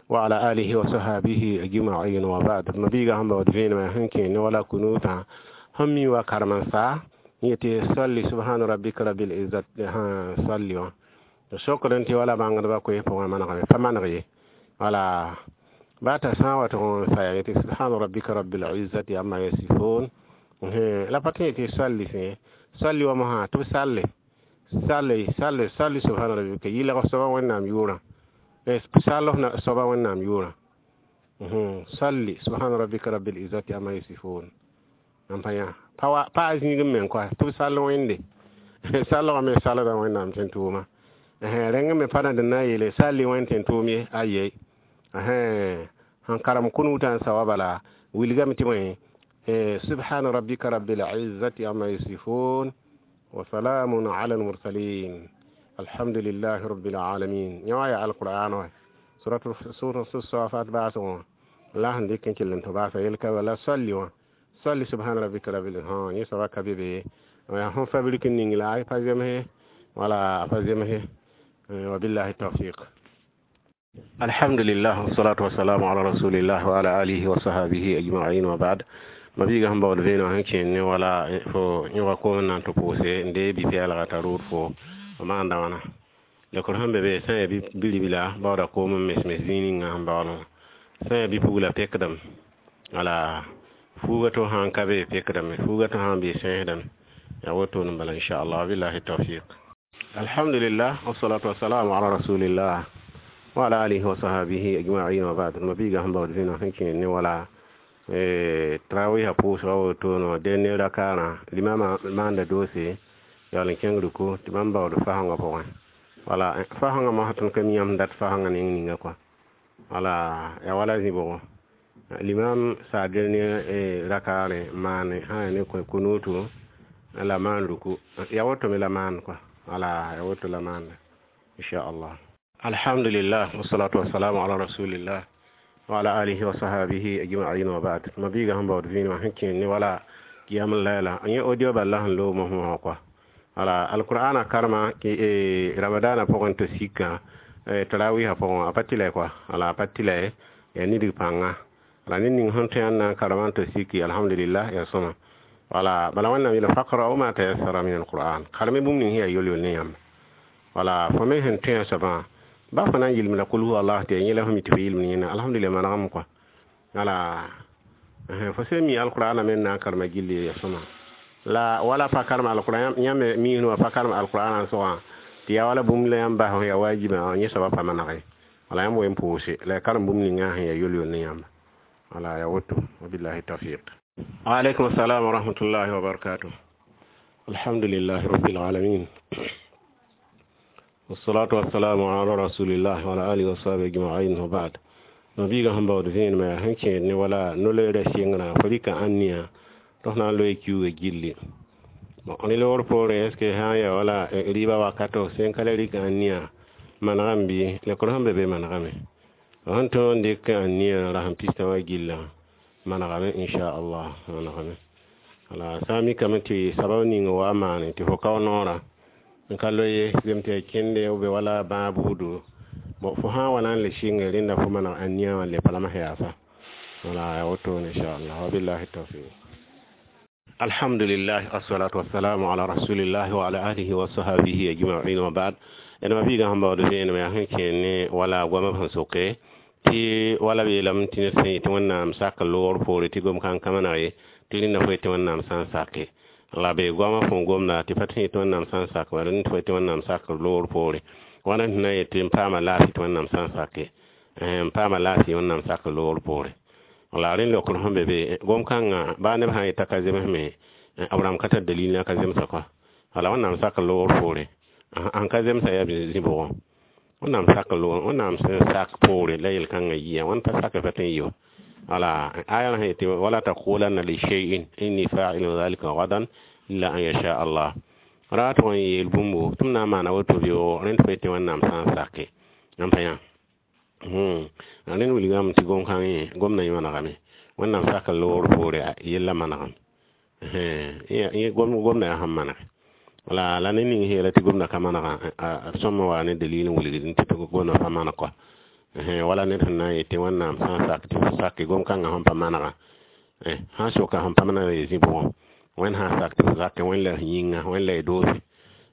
S1: wa ala alihi wa sahabihi ajma'in wa ba'd. Mabiiga sẽn baood vẽenemã sẽn kẽ ne wala kunuutã sẽn mi wa karem-n-sa yetɩ salli subhana rabbika rabbil izzat salli wã sokd n tɩ wala bãngdbã koes pʋgẽ manegame pa maneg ye. Wala baa t'a sã n wa tʋg n saya yetɩ subhana rabbika rabbil izzati amma yasifun la pa tõe tɩ salli sẽ salli wa mosã tɩ b salle salle salle salli subhana rabbika yɩlg soaba Wẽnnaam yʋʋrã, sall soaba Wẽnnaam yʋʋrã, salli subhana rabbika rabbil izzati amma yasifun n pa yã pa a zĩig n meng kɔa tɩ b sall Wẽnde sallgã me salda Wẽnnaam tẽn tʋʋma rẽng me pa na d na n yeele salli Wẽnd tẽn tʋʋm ye aye. Sẽn karem kunuutã n sa wa bala wilgame tɩ bõe subhana rabbika rabbil izzati amma yasifun wa salamun ala al-mursalin alhamdulillahi rabbil alamin. Yã wã yaa alqur'an wã suratul safat baasgõ la sẽn dɩk n kell n tɩ baasa yel-ka wala salli wã salli subhana rabbika rabbil ha yẽ soaba ka be be yaa sẽn fabrik n ning la a pa zemse wala a pa zemse. Wabillahi tawfiq. Alhamdulillah, wassalatu wassalamu ala rasulillah wa ala alihi wa sahabihi ajma'in wa ba'd. Mabiiga sẽn baood vẽeneg sẽn kẽen ne wala fo yõga koom n na n tɩ pʋʋse n dee bi-pɛɛlga t'a rʋʋd fo maanda wãna lekr sẽn be be sã n yaa bi-ribla baooda koom n mes-mes zĩig ninga sẽn baood wã sã n yaa bi-pugla pekdame wala fuuga to sãn ka be pekdame fuuga to sãn be sẽesdame yaa woto n bala inchallah. Billahi tawfiq. Alhamdulillah, wassalatu wassalamu ala rasulillah wa ala alihi wa sahabihi ajma'in wa ba'd. Mabiiga sẽn baood vẽeneg sẽn kẽen ne wala tarawiisã pʋʋsga woto no dẽnd rakaarã limama maanda doose Yaool n kẽng ruku tɩ bãmb baood fasẽngã pʋgẽ. Wala fasẽngã mosã tõnd ka mi yãmb dat fasẽngã ning ninga kɔa. Wala yaa wala zĩ-bʋgo limam saad ne rakaare maane sã yaa ne kunuutu la maan ruku ya woto me la maan kɔa. Wala ya woto la maanda inchallah. Alhamdulillah, wassalatu wassalamu ala rasulillah wa ala alihi wa sahabihi ajma'in wa ba'd. Ma biiga sẽn baood vĩinã sẽn kẽer ne wala qiyam layla yẽ audio bal la sẽn loog mosã wã kɔa. Wala alqur'ana karema ramadana pʋgẽ tɩ sikã tarawihã pʋgẽ a pa tɩlɛ kɔa. Wala a pa tɩlɛ yaa nidg pãnga. Wala ned ning sẽn tõe n na n karema n tɩ siki, alhamdulillah, yaa sõma. Wala bala Wẽnnaam yeela faqra'u ma tayassara min alquran, karme bũmb ning sẽn yaa yol-yol ne yãmb. Wala fo me sẽn tõe a soabã ba fo na n yɩlem la kul huwa allah tɩ yaa yẽ la fo mi tɩ fo yɩlem yẽna, alhamdulillah, manegame kɔa. Wala fo sẽn mi alqur'ana me n na n karema gilli ya sõma la wala pa karem alqur'an yãmb miisd wã pa karem alqur'ana n sogã tɩ yaa wala bũmb la yãmb bas yaa wajiba yẽ soabã pa manege. Wala yãmb wen pʋʋse la ya karem bũmb ninga sẽn yaa yol-yol ne yãmba. Wala ya woto, wabillahi tawfiq. Waalaikum assalam wa rahmatullahi wa barakatuh. Alhamdulillahi rabbil alamin, wassalatu wassalamu ala rasulillah wa ala alihi wa sahbihi ajma'in wa ba'd. Nabiga sẽn baood vẽenemã yaa sẽn kẽed ne wala no-loeerã sɩngrã fo rɩka ãnniya tɩ f na n loe kiuugã gilli. Bon, rẽ loogr poorẽ, est ce que sã n yaa wala rɩɩbã wakato sẽn ka le rɩk ãnniya manegame bɩ lekr sẽn be be manegame sẽn tõog n dɩk ãnniya rasem pistã wã gillã manegame inchallah, manegame. Wala sã n mikame tɩ sabab ning wa maane tɩ fo kao noorã n ka loe zem tɩ yaa kẽnde b wala bãag buudu. Bon, fo sã n wa na n le sɩnge rẽnda fo maneg ãnniya wã le pa la m yaasa. Wala yaa wotone inchallah, wabillahi tawfiq. Alhamdulillah, assalatu wassalamu ala rasulillah wa ala alihi wa sahabihi ajma'in wa ba'd. Ẽdma biigã sẽn baood vẽenemã yaa sẽn kẽer ne wala goamã sẽn soke tɩ wala b yeelame tɩ ned sẽn yetɩ Wẽnnaam sak loogr poore tɩ gom kãng ka maneg ye tɩ rẽnda fo yetɩ Wẽnnaam sã n sake la be goamã fõn gomda tɩ pa tɩ yetɩ Wẽnnaam sã n sak bala ned fo yetɩ Wẽnnaam sak loogr poore wãna tɩ na n yetɩ n paama laafɩ tɩ Wẽnnaam sã n sake n paama laafɩ Wẽnnaam sak loogr poore. Wala rẽnd leokr sẽn be be gom kãngã baa neb sã n yeta ka zemsme b rãmb ka tar dalil la ka zemsa kɔa. Wala Wẽnnaam sak loogr poore sẽn ka zemsa yaa zĩ-bʋgõ Wẽnnaam sak loogr Wẽnnaam sẽn sak poore la yel-kãngã yia wãn pa sak pa tõe n yɩ wala aya sẽn yetɩ wala taqulanna li shay'in inni fa'ilun dhalika gadan illa an yasha Allah ra tʋg n yeel bũmbo tɩ m na n maana woto bɩ rẽnd fo yetɩ Wẽnnaam sã n sake n pa yã rẽnd wilgame tɩ gom-kãng yẽ gomdã yẽ manegame Wẽnnaam sak loogr poore yella manegame gomdã yaa sẽn manege. Wala la ned ning sẽn yeela tɩ gomdã ka manegã b sõm wa ne dalil n wilgd tɩ gomdã pa maneg kɔa. Wala ned sẽn na n yetɩ Wẽnnaam sã n sak tɩ fo sake gom-kãngã sẽn pa manegã sã n soka sẽn pa maneg yaa zĩ-bʋgõ Wẽnd sã n sak tɩ fo sake Wẽnd la f yĩnga Wẽnd la y doose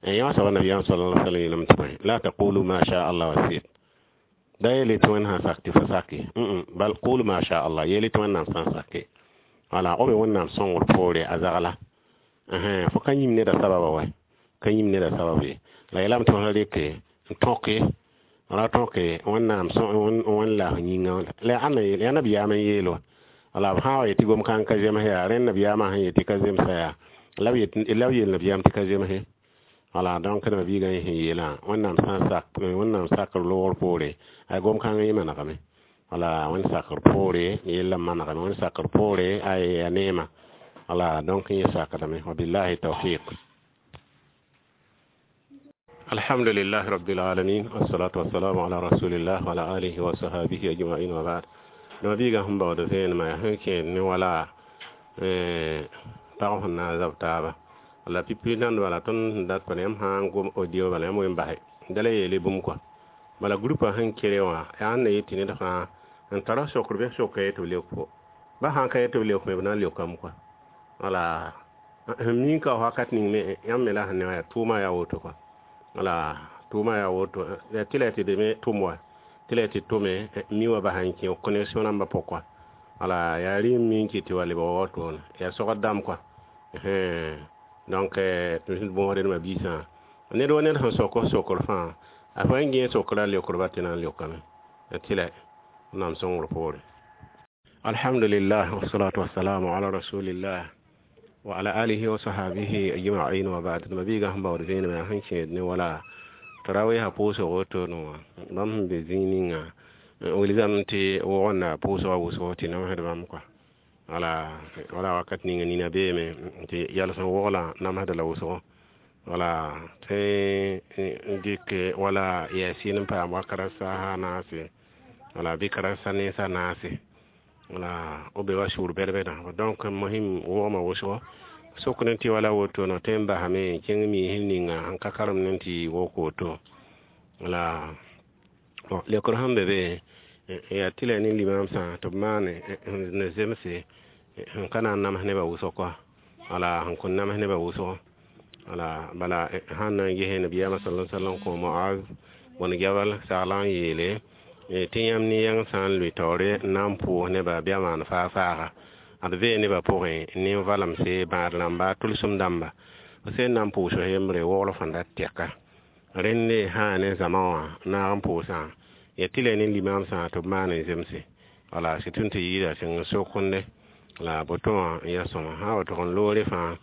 S1: yã wã soaba nabiyaam sallallahu alaihi wasallam yeelame tɩ bõe la taqulu ma sha Allah wa sit da yeele tɩ Wẽnd sã n sak tɩ fo sake bal qulu ma sha Allah yeele tɩ Wẽnnaam sã n sake. Wala b be Wẽnnaam sõngr poore a zagla fo ka yĩm neda sababa wa ka yĩm neda sabab ye la yeelame tɩ fo rɩke n tõke ra tõke Wẽnnaam Wẽnd la f yĩnga la yaa nabiyaam n yeel wa. Wala b sã n wa yetɩ gom-kãng ka zems yaa rẽnd nabiyaamã sẽn yetɩ ka zemsa yaa la b yeel nabiyaam tɩ ka zemse. Wala donc neba biigã yẽ sẽn yeelã Wẽnnaam sã n sak Wẽnnaam sakr loogr poore ay gom-kãng yẽ manegame. Wala Wẽnd sakr poore yellã manegame Wẽnd sakr poore ay yaa neema. Wala donc yẽ sakdame, wabillahi tawfiq. Alhamdulillahi rabbil alamin, wassalatu wassalamu ala rasulillah wa ala alihi wa sahabihi ajma'in wa ba'd. Neba biigã sẽn baood vẽenemã yaa sẽn kẽed ne wala pag sẽn na n zab taaba la pipi nand bala tõnd sẽn dat pa yãmb sã n gom audio bala yãmb wen basɛ da la yeele bũmb kɔa bala groupa sẽn kere wã yaa sẽn na yetɩ ned fãa n tara sokr bɩ soka ye tɩ b leok fo ba sã n ka ye tɩ b leok me b na n leokame kɔa. Wala sẽn mii ka wakat ning me yãmb me la sẽn ne wã yaa tʋʋmã yaa woto kɔa. Wala tʋʋmã yaa woto tɩ la tɩ deme tʋm wa tɩ la tɩ tʋme mi wã bas n kẽ connexion rãmbã pʋg kɔa. Wala yaa rɩ n mi n kɩ tɩ wa lebg watoone yaa sogd dãmb kɔa. Donc tɩ bõosd d ma-biisã ned wa ned sẽn sok f sokr fãa a fa n gẽe sokra leokrba tɩ na n leokame tɩ la Wẽnnaam sõngr poore. Alhamdulillah, wassalatu wassalamu ala rasulillah. وعلى آله وصحابه أجمعين وبعد. ما بيغا هم باور زين ما هنشي ne wala tarawih pʋʋsg woto no bãmb sẽn be zĩig ninga wilgame tɩ wogenda pʋʋsga wʋsgo tɩ namsd bãmb kɔa wala wala wakat ninga nina beeme tɩ yals n wogla namsda la wʋsgo wala tɩ n dɩk wala yɛɛsɩ n paam wakat saasa naase wala bɩ karasa nensa naase wala b be wa sʋʋr bɛd-bɛdã. Donc mohim wogma wʋsgo sokd tɩ wala woto no tõe n basame kẽng miisr ninga sẽn ka karemd tɩ wok woto wala leokr sẽn be be yaa tɩ la ne limamsã tɩ b maane ne zemse sẽn ka na n nams nebã wʋsg kɔa wala sẽn kõn nams nebã wʋsgo wala bala sãn na n ges nabiyaamã sala sallam kõ Moaz bõn Jabal sagl n yeele tɩ yãmb ne yãng sã n lʋɩ taoore n na n pʋʋs nebã bɩa maan faa-faaga ad vee nebã pʋgẽ nin-valemse bãad rãmba tʋlsem dãmba f sẽn na n pʋʋs yembre wogl fãn dat tɛka rẽnde sã ne zãma wã naag n pʋʋsã ya tɩ la ne limamsã tɩ b maan n zemse wala sɩtʋn tɩ yɩɩda sẽng n sokende la boto wã n yaa sõma sã wa tog n loore fãa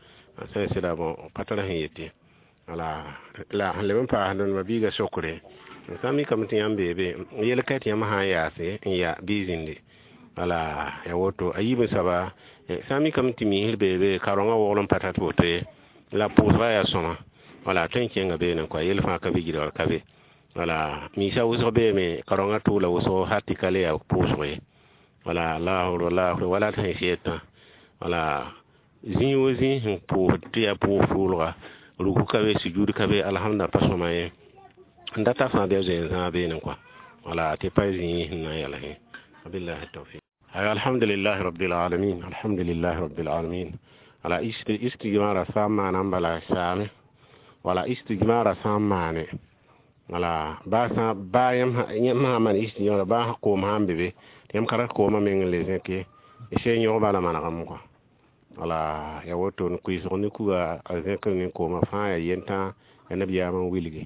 S1: sẽn sɩda bõ pa tar sẽn yetɩ wala la sẽn leb n paasd ma-biigã sokre sã n mikame tɩ yãmb beebe yel ka tɩ yãmb sã n yaase n ya bɩ zĩndi wala ya woto a yiib n soaba sã n mikame tɩ miisr beebe karengã wogl n pa tat woto ye la pʋʋsga yaa sõma wala tõe n kẽnga beene kɔa yel fãa ka be gɩdgr ka be wala miisã wʋsg beeme karengã tʋʋla wʋsgo hal tɩ ka le yaa pʋʋsg ye wala laafr laafr wala tɩ sẽn sɩetã wala zĩig wo zĩig sẽn pʋʋsd tɩ yaa pʋʋs tʋʋlga ruku ka be sujud ka be alhamda pa sõma ye n data fãa bɩa zoe n zãag beene kɔa wala tɩ pa zĩig sẽn na n yɛls wabillahi tawfiq. Alhamdulillah rabbil alamin, alhamdulillah rabbil alamin. Wala istijmara sã n maana n bala saame wala istijmara sã n maane wala baa sã baa yãmb sã n maan istijmara baa koom sã n be be tɩ yãmb ka rat koomã meng n le zẽk ye sẽn yõg bala manegem kɔa wala ya woto n kuɩsg ne kuga a zẽkr ne koomã fãa yaa yentã ya nabiyaamã n wilgi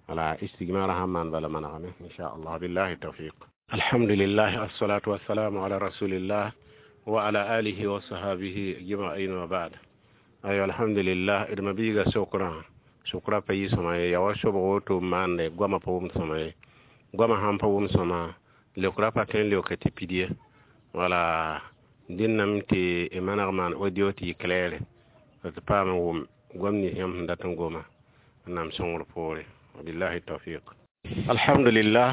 S1: wala istijmara sãn maan bala manegame inchallah billahi tawfiq. Alhamdulillah, assalatu wassalamu ala rasulillah wa ala alihi wa sahabihi ajma'in wa ba'd. Ayo alhamdulillah d ma-biiga sokrã sokra pa yɩ sõma ye ya wa sobg woto n maande goamã pa wʋm sõma ye goamã sãn pa wʋm sõma leokra pa tõe n leoka tɩ pid ye wala dẽname tɩ y maneg maan audio tɩ yɩ claire tɩ paam n wʋm goam nins yãmb sẽn dat n goma n nam sõngr poore wabillahi tawfiq. Alhamdulillah,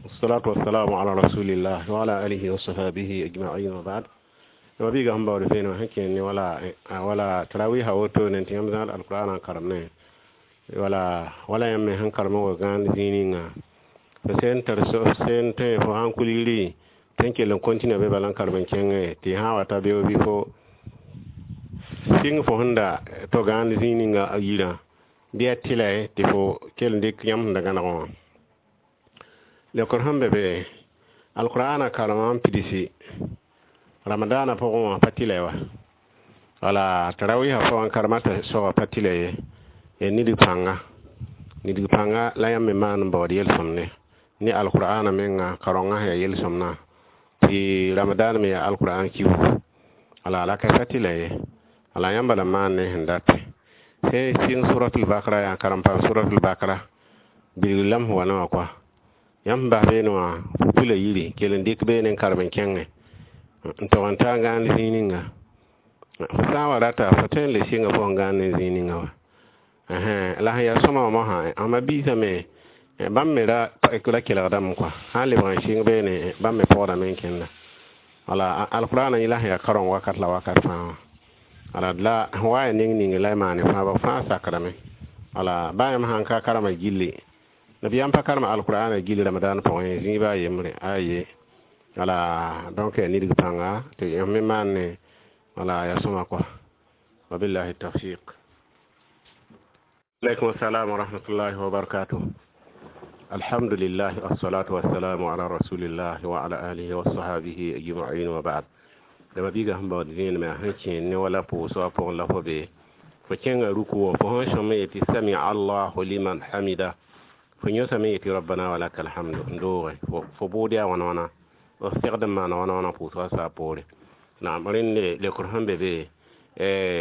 S1: wassalatu wassalamu ala rasulillah wa ala alihi wa sahbihi ajma'in wa ba'd. Ma-biiga sẽn baood vẽenem sẽn kẽnd ne wala wala tarawiha woto ne tɩ yãmb zãad alqur'an n karem ne wala wala yãmb me sẽn karem n wa gãand zĩig ninga fo sẽn tar sẽn tõe fo sãn kul yiri tõe n kell n continue be bala n karem n kẽngẽ tɩ sã n wa ta beoog bɩ fo sɩng fo sẽn da to gãand zĩig ninga yirã bɩ yaa tɩla tɩ fo kell n dɩk yãmb sẽn da gãneg wã leokr sẽn be be alqur'ana karemã n pidsi ramadana pʋgẽ wã pa tɩla wa wala tarawiha pʋgẽ karemã t'a soaba pa tɩla ye ya nidg pãnga nidg pãnga la yãmb me maan n baood yel-sõmde ne alqur'ana menga karengã sẽn yaa yel-sõmdã tɩ ramadan me yaa alqur'an kiugu wala la ka pa tɩla ye wala yãmba la maan ne sẽn date sẽn sɩng suratul bakra yaa karem paam suratul bakra bilg lam sẽn wa ne wã kɔa yãmb sẽn bas beene wã pupula yiri kell n dɩk beene n karem n kẽngẽ n tog n taa gãand zĩig ninga fo sã n wa rata fo tõe n le sɩnga fo sẽn gãand ne zĩig ninga wa la sẽn yaa sõma wã mosã ãmba biisame bãmb me ra ra kelgdame kɔa sã n lebg n sɩng beene bãmb me pɔgdame n kẽnda wala alqur'ana yẽla sẽn yaa kareng wakat la wakat fãa wã wala la sẽn wa ya neng ning la y maane fãa ba fãa sakdame wala baa yãmb sãn ka karema gilli nabiyaam pa karema alqur'ana gilli ramadan pʋgẽ zĩig baa yembre aye wala donc ya nidg pãnga tɩ yãmb me maan ne wala ya sõma kɔa wabillahi tawfiq. Aleykum assalam wa rahmatullahi wa barakatuh. Alhamdulillah, assalatu wassalamu ala rasulillah wa ala alihi wa sahabihi ajma'in wa ba'd. Dama biiga sẽn baood vẽenemã sẽn kẽen ne wala pʋʋsgã pʋgẽ la fo be fo kẽnga ruku wã fo sẽn sõm yetɩ sami allahu liman hamida fo yõsame yetɩ rabbana wa laka alhamdu n dooge fo bʋʋd yaa wãna wãna f segd n maana wãna wãna pʋʋsgã saa poore. Naam, rẽnd lekr sẽn be be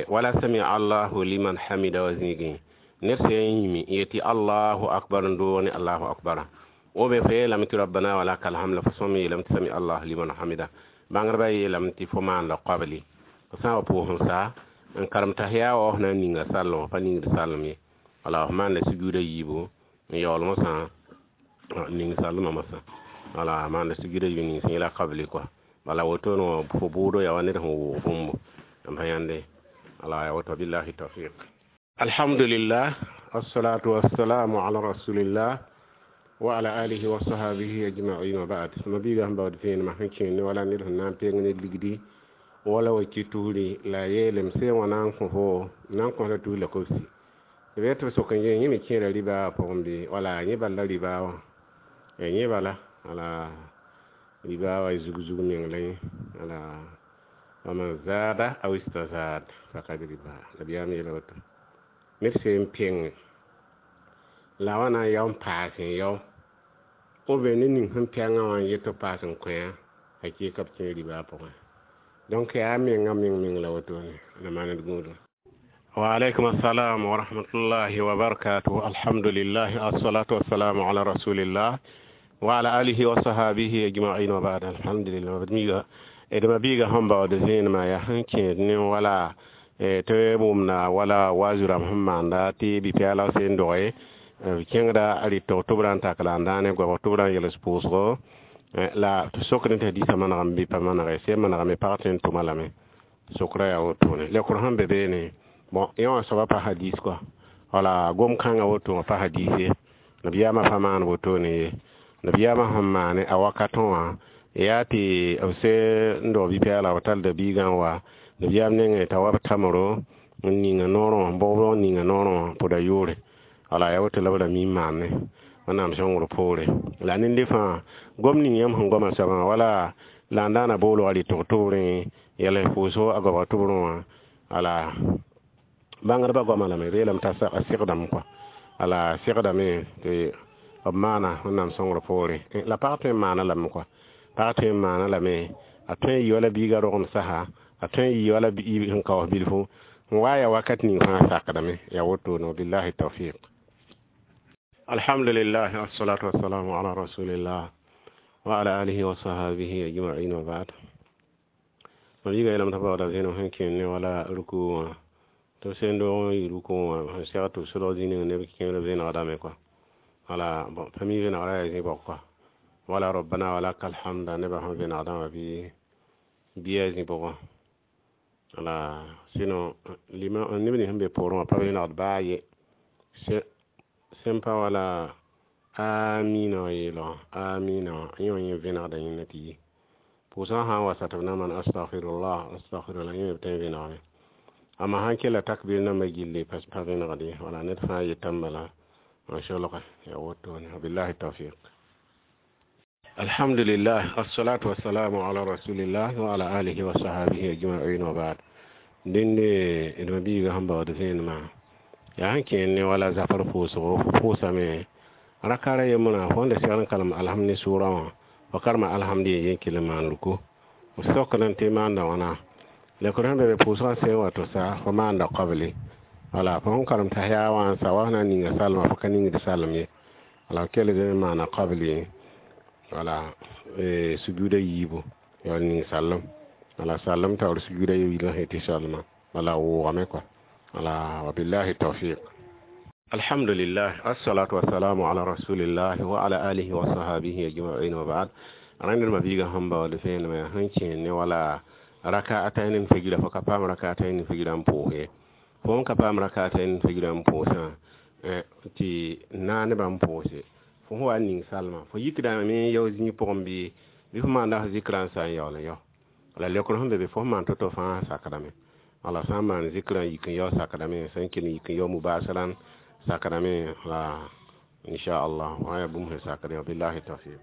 S1: wala sami allahu liman hamida wa zĩigẽ ned sã n yĩme n yetɩ allahu akbar n doog ne allahu akbara o be fo yeelame tɩ rabbana wa laka alhamd la fo sõm yeelame tɩ sami allahu liman hamida. Bãngdbã yeelame tɩ fo maanda qabli. Fo sã n wa pʋʋs n sa n karem tahiya wa f na n ninga sallem wã pa ningd sallem ye. Wala f maanda sujuuda yiibu n yaool mosã ning sallmã mosã. Wala maanda sujuuda yiibu ning sẽn yela qabli kɔa. Bala wotone wã fo bʋʋdo yaa wa ned sẽn wʋʋg bũmbu n pa yãnde. Wala ya woto, billahi tawfiq. Alhamdulillah, assalatu wassalamu ala rasulillah wa ala alihi wa sahabihi ajma'in wa ba'd. Mabiiga sẽn baood vẽenemã sẽn kẽer ne wala ned sẽn na n peng ne ligdi wala wa ki tusri la yeelem sẽn wã na n kõ fo na n kõs la tus la kobsi b tɩ b sok n yẽ yẽ me kẽera ribaa pʋgẽ bɩ wala yẽ bal la ribaa wã yẽ bala wala ribaa wa zug zug meng la yẽ wala waman zada aw istazad fakad riba nabiyaam yeela woto ned sẽn peng la wa na n yao n paas n yao ou bien ned ning sẽn pɛngã wã n yet tɩ paas n kõ hakɩɩka b kẽ ribaa pʋgẽ. Donc yaa menga meng meng la wotone la maand gũudum. Wa alaikum assalam wa rahmatullahi wa barakatuh. Alhamdulillah, assalatu wassalamu ala rasulillah wa ala alihi wa sahabihi ajma'in wa ba'd. Alhamdulillah, miga d mabiiga sẽn baood vẽenemã yaa sẽn kẽed ne wala tɩ wʋmda wala wazu-rãmb sẽn maanda tɩ bi-pɛɛlg sẽn doge b kẽngda a rɩtg tʋbrã n tak la n dãane goabg tʋbrã n yels pʋʋsgo la tɩ sokd tɩ hadiisã manegame bɩ pa manege sẽn manegame pag tõe n tʋma lame sokra yaa wotone lekr sẽn be beene. Bon, yẽ wã soaba pa hadis kɔa wala gom-kãngã woto wã pa hadis ye. Nabiyaamã pa maan wotone ye. Nabiyaamã sẽn maane a wakatẽ wã yaa tɩ b se n dog bi-pɛɛlga b tallda biigã n wa nabiyaam nengẽ t'a wa b tamro n ninga noorẽ wã bʋgb n ninga noorẽ wã pʋda yʋʋre wala yaa woto la b ra mi n maane wẽnnaam sõngr poore la nende fãa gom ning yãmb sẽn goamã soabã wala la n daana boolga rɩtg tʋbrẽ yɛls pʋʋsgo a goabg tʋbrẽ wã wala bãngdbã goamã lame b yeelame t'a segdame kɔa wala segdame tɩ b maana wẽnnaam sõngr poore la pag tõe n maana lame kɔa pag tõe n maana lame a tõe n yɩ wala biigã rogem sasa a tõe n yɩ wala sẽn kaoos bilfu n wa yaa wakat ning fãa sakdame yaa wotone billahi tawfiq. Alhamdulillah, assalatu wassalamu ala rasulillah wa ala alihi wa sahabihi ajma'in wa ba'd. Mabiiga yeelame t'a baooda vẽenem sẽn kẽer ne wala ruku wã tɩ b sẽn doog n yɩ ruku wã sẽn seg tɩ b sʋlg zĩ ning neb kẽer vẽenegdame kɔa wala bon pa mi vẽnegrã yaa zĩ bɔg kɔa wala rabbana wa laka alhamda nebã sẽn vẽnegdã wã bɩ bɩa zĩ pʋgẽ wala sinon lima neb nins sẽn be poorẽ wã pa vẽnegd baa ye sẽn pa wala amina wã yeelgã amina wã yẽ wã yẽ vẽnegda yẽnda tɩ yi pʋʋsgã sã n wa sa tɩ b na n maan astagfirullah astagfirullah yẽ me b tõe n vẽnegame amma sãn kella takbir nambã gilli pa vẽnegd ye wala ned fãa yetame bala n solge yaa wotone wabillahi tawfiq. Alhamdulillah, assalatu wassalamu ala rasulillah wa ala alihi wa sahabihi ajma'in wa ba'd. Dẽnde d mabiiga sẽn baood vẽenemã yaa sẽn kẽer ne wala zafar pʋʋsgo fo pʋʋsame rakara yembrã fo n da segd n kalem alhamd ne sʋʋrã wã fo karema alhamd ye yen kell n maan ruku f sokd n tɩ maanda wãna lekr sẽn be be pʋʋsgã sẽn wa to sa fo maanda qabli wala fo sẽn karem tahiya wã n sa wa f na n ninga salmã fo ka ningd salem ye wala f kell n maana qabli wala sujuuda yiibu ya ning sallem wala sallem taoor sujuuda yiilã sẽn tɩ salmã wala wʋʋgame kɔa wala wabillahi tawfiq. Alhamdulillah, assalatu wassalamu ala rasulillah wa ala alihi wa sahabihi ajma'in wa ba'd. Rãnd mabiiga sẽn baood vẽenemã yaa sẽn kẽer ne wala raka ata n figra fo ka paam raka ata n figra n pʋʋs ye fo n ka paam raka ata n figra n pʋʋsã tɩ naa nebã n pʋʋse fo sẽn wa n ning salmã fo yikdame yao zĩig pʋgẽ bɩ bɩ fo maanda f zikra n sa n yaool n yao la lekr sẽn be be fo sẽn maan to-to fãa sakdame wala sã n maan zikra n yik n yao sakdame sẽn kell n yik n yao mubasaran sakdame la inchallah wã yaa bũmb sẽn sakd billahi tawfiq.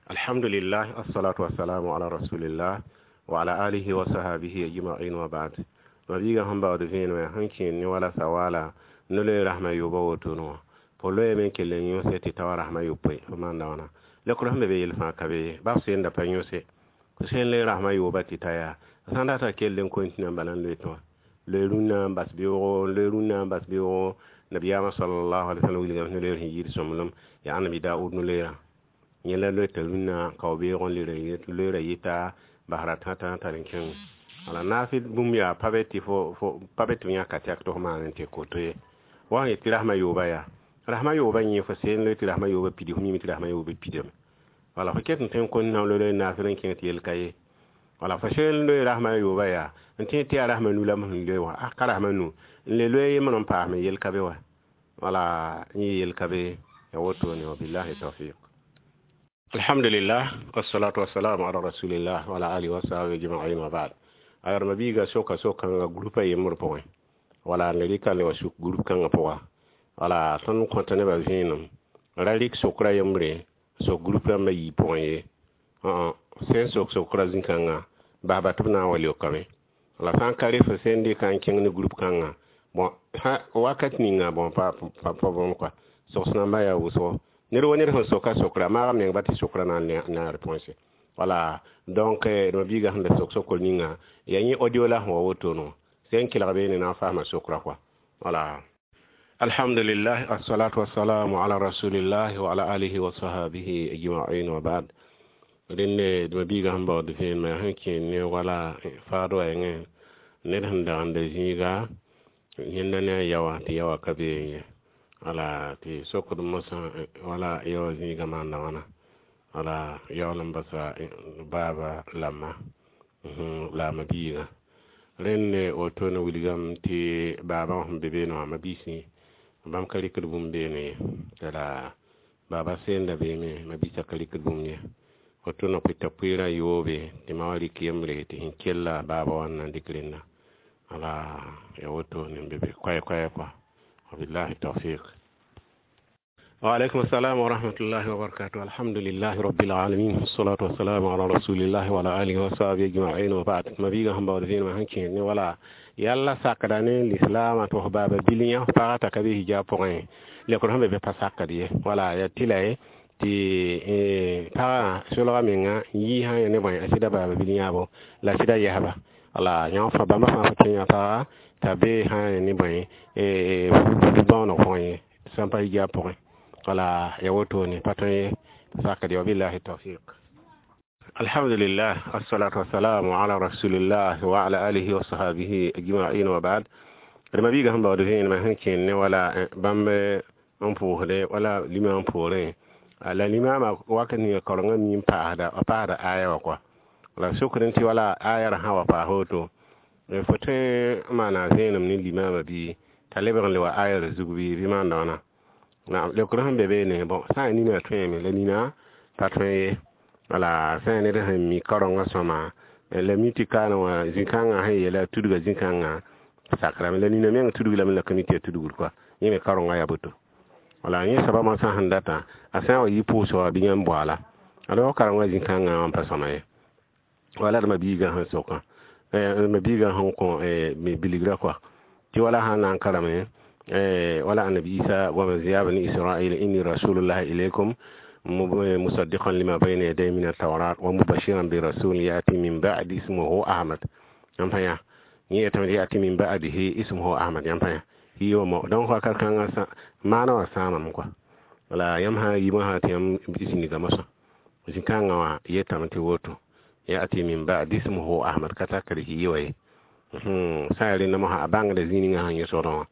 S1: Alhamdulillah, assalatu wassalamu ala rasulillah wa ala alihi wa sahabihi ajma'in wa ba'd. Mabiiga sẽn baood vẽenemã yaa sẽn kẽer ne wala sawala no-loe rasmã yoobã wotone wã fo loeeme n kell n yõse tɩ ta wa rasmã yopoe fo maanda wãna lekr sẽn be be yel fãa ka be ye ba f senda pa yõse Fo sẽn le rasmã yooba tɩ ta yaa sã n data kell n continue n bala n loe tõa loe rũnnã n bas beoogo n loe rũnnã n bas beoogo. Nabiyaamã sallallahu alaihi wasallam wilgame no-leer sẽn yɩɩd sõmblem yaa Ãnnabi Daoud no-leerã yẽ la loeta rũnnã kao beoog n loeera yɩta basra tãtã tar n kẽng. Wala naafɩ bũmb yaa pa be tɩ fo pa be tɩ f yãka tɛk tɩ f maan n tɩ koto ye. Wa sẽn yet tɩ rasmã yooba yaa rasmã yooba yẽ fo seen loe tɩ rasmã yooba pidi, fo mime tɩ rasmã yooba pidame. Wala fo ket n tõe n kõn na loe naafɩr n kẽng tɩ yel ka ye. Wala fo seen loe rasmã yooba yaa n tẽ tɩ yaa rasmã nu la m sẽn loe wã, a ka rasmã nu n le loe yembr n paasme yel ka be wa. Wala yẽ yel ka be ya wotone. Wabillahi tawfiq. Alhamdulillah, wassalatu wassalamu ala rasulillah wa ala alihi wa sahbihi ajma'in, wa ba'd. Ayarma biiga soka sokãnga groupa yembr pʋgẽ, wala n rɩka le wa suk group kãngã pʋga. Wala tõnd kõta nebã vẽenem ra rɩk sokra yembre sok group rãmbã yii pʋgẽ ye. Sẽn sok sokra zĩ-kãngã basba tɩ b na n wa leokame. La sã n ka re fo sẽn dɩka n kẽng ne group kãngã, bon, wakat ninga, bon, pa pa pa bõmb kɔa sogs namba yaa wʋsgo ned wa ned sẽn soka sokra maag meng ba tɩ sokra na n na réponse. Wala donc ma biiga sẽn da sok sokr ninga yaa yẽ audio la sẽn wa wotone sẽn kelg beene na n faasma sokra kɔa. Wala alhamdulillah, assalatu wassalamu ala rasulillah wa ala alihi wa sahabihi ajma'in, wa ba'd. Rẽnde dma biiga sẽn baood vẽenemã yaa sẽn kẽer ne wala faad wa yẽngẽ ned sẽn dagenda zĩiga yẽnda ne a yaoã tɩ yaoã ka beẽ ye. Wala tɩ sokd mosã wala yaoã zĩigã maanda wãna, wala yaool n basa baaba lama la a ma-biigã. Rẽnd wotone wilgame tɩ baabã sẽn be beene wã ma-biisẽ bãmb ka rɩkd bũmb beene ye, t'a la baaba seenda beeme ma-biisã ka rɩkd bũmb ye. Woto na pʋɩta pʋɩɩrã yoobe tɩ ma wa rɩk yembre tɩ sẽn kella baaba wã n na n dɩk rẽnda. Wala ya wotone n be be koɛɛ-koɛɛ kɔa. Wabillahi tawfiq. وعليكم السلام ورحمة الله وبركاته. الحمد لله رب العالمين، والصلاة والسلام على رسول الله وعلى آله وصحبه أجمعين، وبعد. ما بيغا هم بعد ما هنكين ولا يلا ساكداني الإسلام تو بابا بليا فاتا كبي hijab pʋgẽ lekr sẽn be be pa sakd ye. Wala ya tɩ la ye tɩ pagã solga menga n yii sã ne bõe a sɩda baaba bil yãabo la sɩda yɛsba. Wala yã fã bãmba fãa fo kẽ yã paga t'a be sã ne bõe bãooneg pʋgẽ ye sãn pa hijab pʋgẽ. Wala ya wotone pa tõe ye sakd ye. Wabillahi tawfiq. Alhamdulillah, assalatu wassalamu ala rasulillah wa ala alihi wa sahabihi ajma'in, wa ba'd. D ma-biigã sẽn baood vẽenemã sẽn kẽnd ne wala bãmb n pʋʋsde wala limã n poorẽ la limaamã wakat ninga kaorengã mi n paasda a paasda aya wã kɔa. La sokd tɩ wala aya ra sã wa paas woto fo tõe n maana vẽenem ne limaamã bɩ t'a lebg n le wa aya ra zug bɩ bɩ maanda wãna. Naam, leokr sẽn be beene, bon, sã n nina tõeme la nina pa tõe ye. Wala sã n ned sẽn mi kaorengã sõma la mi tɩ kaana wã zĩ-kãngã sẽn yeela tudga zĩ-kãngã sakrame la nina meng tudg lame la ka mi tɩ yaa tudgr kɔa yẽ me kaorengã yaa boto. Wala yẽ soaba moasã sẽn data a sã n wa yɩ pʋʋsg wã bɩ yãmb boaala ala karengã zĩ-kãngã wã n pa sõma ye. Wala d ma-biigã sẽn sokã ma-biigã sẽn kõ bilgrã kɔa tɩ wala sã n na n karame wala Annabi Isa goame ya bani Israil inni rasulullahi ilaykum musaddiqan lima bayna yaday min at-tawrat wa mubashiran bi rasul yati min ba'di ismuhu Ahmad. Yãmb pa yã yẽ yetame yati min ba'dihi ismuhu Ahmad. Yãmb pa yã yiiwã mo donc wakat kãngã maana wã sãamame kɔa. Wala yãmb sã n yimã sã tɩ yãmb zĩniga mosã zĩ-kãngã wã yetame tɩ woto yati min ba'di ismuhu Ahmad ka takd yiiwã ye sã n yaa rẽnda mosã a bãngda zĩ ninga sẽn yẽ sodẽ wã.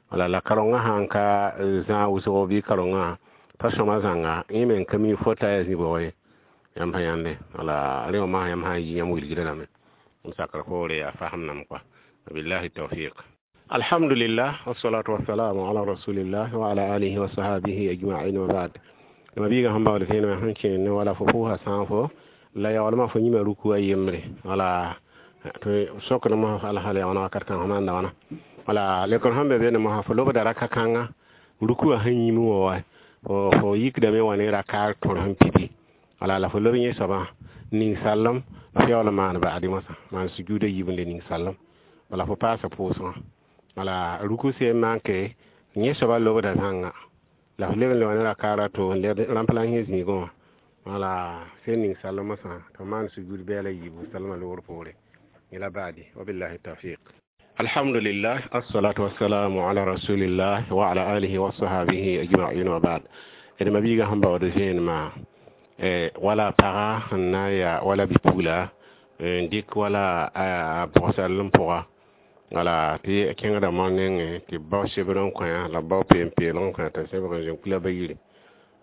S1: Wala la karengã sãn ka zãag wʋsgo bɩ karengã pa sõma zãnga yẽ me n ka mi fota yaa zĩ-bʋg ye. Yãmb pa yãnde wala rẽ wã masã yãmb sã n yi yãmb wilgdã lame n sakr poore a fasem nam kɔa. Wabillahi tawfiq. Alhamdulillah, wassalatu wassalamu ala rasulillah wa ala alihi wa sahabihi ajma'in, wa ba'd. Ma biiga sẽn baood vẽenemã sẽn kẽer ne wala fo pʋʋsa sãn fo la yaoolmã fo yĩma ruku a yembre. Wala tɩ sokd mosã alhal yaoona wakat kãng fo maanda wãna. Wala lekr sẽn be beene mosã fo lobda raka kãnga ruku wã sẽn yĩm wã wa fo yikdame wã ne raka tõr sẽn pidi. Wala la fo lob yẽ soabã ning sallem f yaool n maan ba'adi mosã maan sujuuda yiib n le ning sallem. Wala fo paasa pʋʋsgã. Wala ruku seen manke yẽ soabã lobda zãnga la f leb n le wã ne rakaar a to n led rãmp la sẽn zĩigẽ wã. Wala sẽn ning salmsã tɩ maan sujud bɛɛla yiibu salma loogr poore yẽla baadi. Wabillahi tawfiq. Alhamdulillah, assalatu wassalamu ala rasulillah wa ala alihi wa sahabihi ajma'in wa ba'd. D ma-biigã sẽn baood vẽenemã, wala paga sẽn na n yaa wala bi-pugla n dɩk wala a bʋgsal n pʋga, wala tɩ kẽngda moan nengẽ tɩ b bao sebr n kõ la b bao peen-peelg n kõ t'a sebg n zĩ kula ba yiri.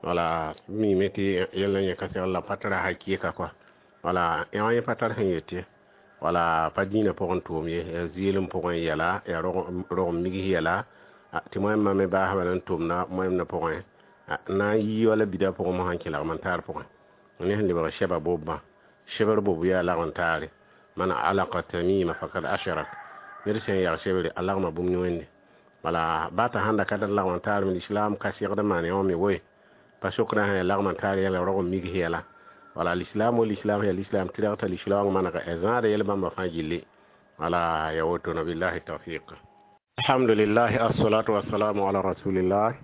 S1: Wala mime tɩ yɛl n yẽ ka segl la pa tara hakɩɩka kɔa. Wala yã yẽ pa tar sẽn yet ye, wala pa dĩinã pʋgẽ tʋʋm ye, yaa zɩɩlem pʋgẽ yɛla, yaa rog n migs yɛla tɩ wẽnnaam me baasã bala n tʋmda wẽmdã pʋgẽ na n yi wala bida pʋgẽ mosã n kẽ lagm n taar pʋgẽ ne sẽn lebg sɛba bobã sebr bob yaa lagm n taare. Man alaka tamima fakad ashrak, ned sẽn yag sebre a lagma bũmb ne Wẽnde. Wala ba t'a sãn da ka tar lagm n taar me, lislaam ka segd n maan yã wã me woe pa sokdã sã ya lagm n taar yɛla rog n migs yɛla. Wala lislaam wo lislaam yaa lislaam tɩrg t'a lislaoong manega a zãada yɛl bãmba fãa gilli. Wala ya woto na billahi tawfiq. Alhamdulillah, assalatu wassalamu ala rasulillah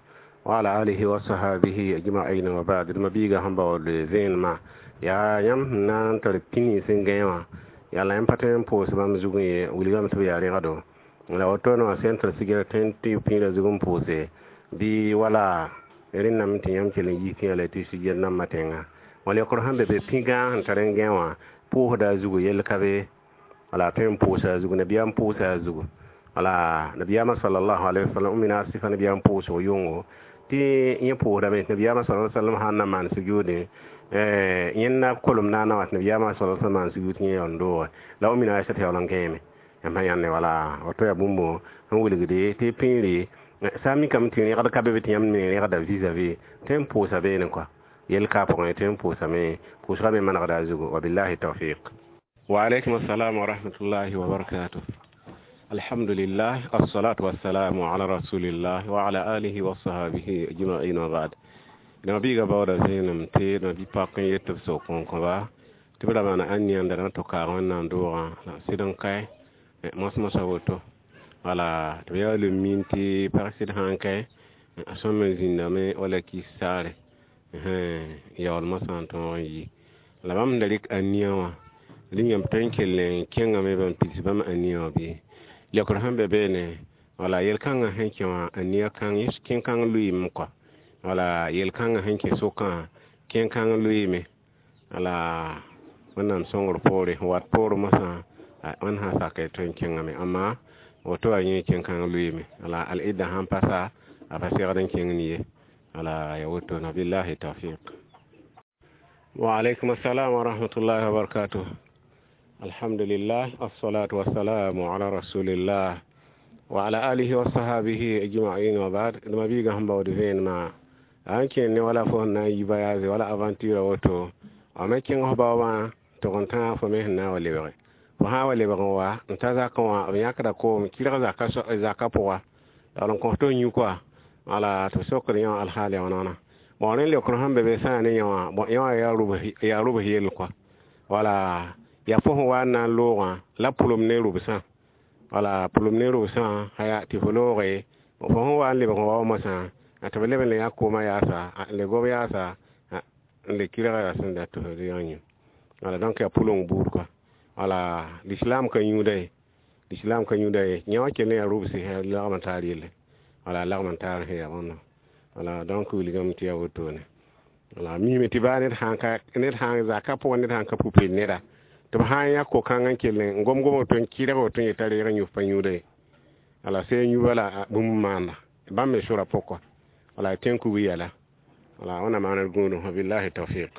S1: wa ala alihi wa sahabihi ajma'in wa ba'd. D ma-biigã sẽn baood vẽenemã yaa yãmb sẽn na n tar pĩni sẽn gãe wã, yaa la yãmb pa tõe n pʋʋs bãmb zugẽ ye, wilgame tɩ b yaa rẽgdo la woto wã sẽn tar sigr tõe tɩ pĩirã zug n pʋʋse bɩ wala rẽndame tɩ yãmb kell n yis tɩ la tɩ sugr nambã tẽnga wala yokr sẽn be be pĩ-gãag sẽn tar n gãe wã pʋʋsda a zugu yell ka be. Wala tõe n pʋʋsa a zugu, nabiyaam pʋʋsa a zugu. Wala nabiyaamã salallahu alaihi wasallam mina sɩfa nabiyaam pʋʋsg yʋngo tɩ yẽ pʋʋsdame nabiyaamã sa sallam sãn na maan sujuudẽ yẽnda kolem naana wã tɩ nabiyaamã sa sallam maan sujuud tɩ yẽ yaool n dooge la mina Aisata yaool n gãeme yãmb sã yãnde. Wala woto yaa bũmb sẽn wilgde tɩ pĩiri sã n mikame tɩ rẽgd ka be be tɩ yãmb me rẽgda vis-à-vis tõe n pʋʋsa beene kɔa yell ka pʋgẽ tõe n pʋʋsame pʋʋsgã me manegda a zugu. Wabillahi tawfiq. Wa alaikum assalam wa rahmatullahi wa barakatuh. Alhamdulillah, assalatu wassalamu ala rasulillah wa ala alihi wa sahabihi ajma'in wa ba'd. D ma-biigã baooda vẽenem tɩ d ma-bi-pak n yet tɩ b sok n kõba tɩ b ra maana ãniyã n da na tɩ kaag Wẽnnaam doogã la sɩd n kae mos-mosã woto. Wala tɩ b yaa le min tɩ pag sɩd sã n kae a sõm n zĩndame wala kis saare yaool mosã n tõog n yi la bãmb sẽn da rɩk ãniyã wã rĩngame tõe n kell n kẽngame ban pids bãmb ãniyã wã bɩ lekr sẽn be beene. Wala yel-kãngã sẽn kẽ wã ãniyã kãng kẽn-kãng lʋɩɩme kɔa. Wala yel-kãngã sẽn kẽ sokã kẽn-kãng lʋɩɩme. Wala Wẽnnaam sõngr poore wat poor mosã Wẽnd sã saka tõe n kẽngame, amma woto a yẽ kẽn-kãng lʋɩɩme. Wala al-idda sãn pasa a pa segd n kẽng ye. Wala ya woto na billahi tawfiq. Wa alaikum assalam wa rahmatullahi wa barakatuh. Alhamdulillah, assalatu wassalamu ala rasulillah wa ala alihi wa sahabihi ajma'in wa ba'd. D ma-biigã sẽn baood vẽenemã a n kẽer ne wala fo sẽn na n yi voyage wala aventure woto a me kẽng f baoobã tʋg n tãag fo me sẽn na n wa lebge fo sã n wa lebg n wa n ta zakẽ wã b yãkda koom kɩrg zaka zakã pʋga la n kõs tɩ f yũ kɔa. Wala tɩ b sokd yã wã alhaal ya wãna bon rẽnd leokr sẽn be be sã yaa ne yã wã bon yã wã yaa rʋbs yell kɔa. Wala yaa fo sẽn wa n na n loogã la pʋlem ne rʋbsã, wala pʋlem ne rʋbsã aya tɩ fo looge fo sẽn wa n lebg n wa wa mosã tɩ b leb n le yã koomã yaasa n le gob yaasa n le kɩrga yaa sẽn dat tɩ fo yã yũ. Wala donc yaa pʋleng buud kɔa. Wala lislaam ka yũuda ye, lislaam ka yũuda ye, yã wã kell n yaa rʋbs lagm n taar yelle. Wala lagm n taar sẽn yaa bõndo. Wala donc wilgame tɩ yaa wotone. Wala mime tɩ baa ned sãn ka ned sãn zaka pʋgẽ ned sãn ka pupel neda tɩ b sã n yã ko-kãng n kell n gom-gomg tõe n kɩrg woto n yeta reeg n yũ pa yũuda ye. Wala sã n yũ bala bũmb maanda bãmb me sʋra pʋg kɔa. Wala tẽn kug yɛla. Wala Wẽnnaam maan d gũudum. Wabillahi tawfiq.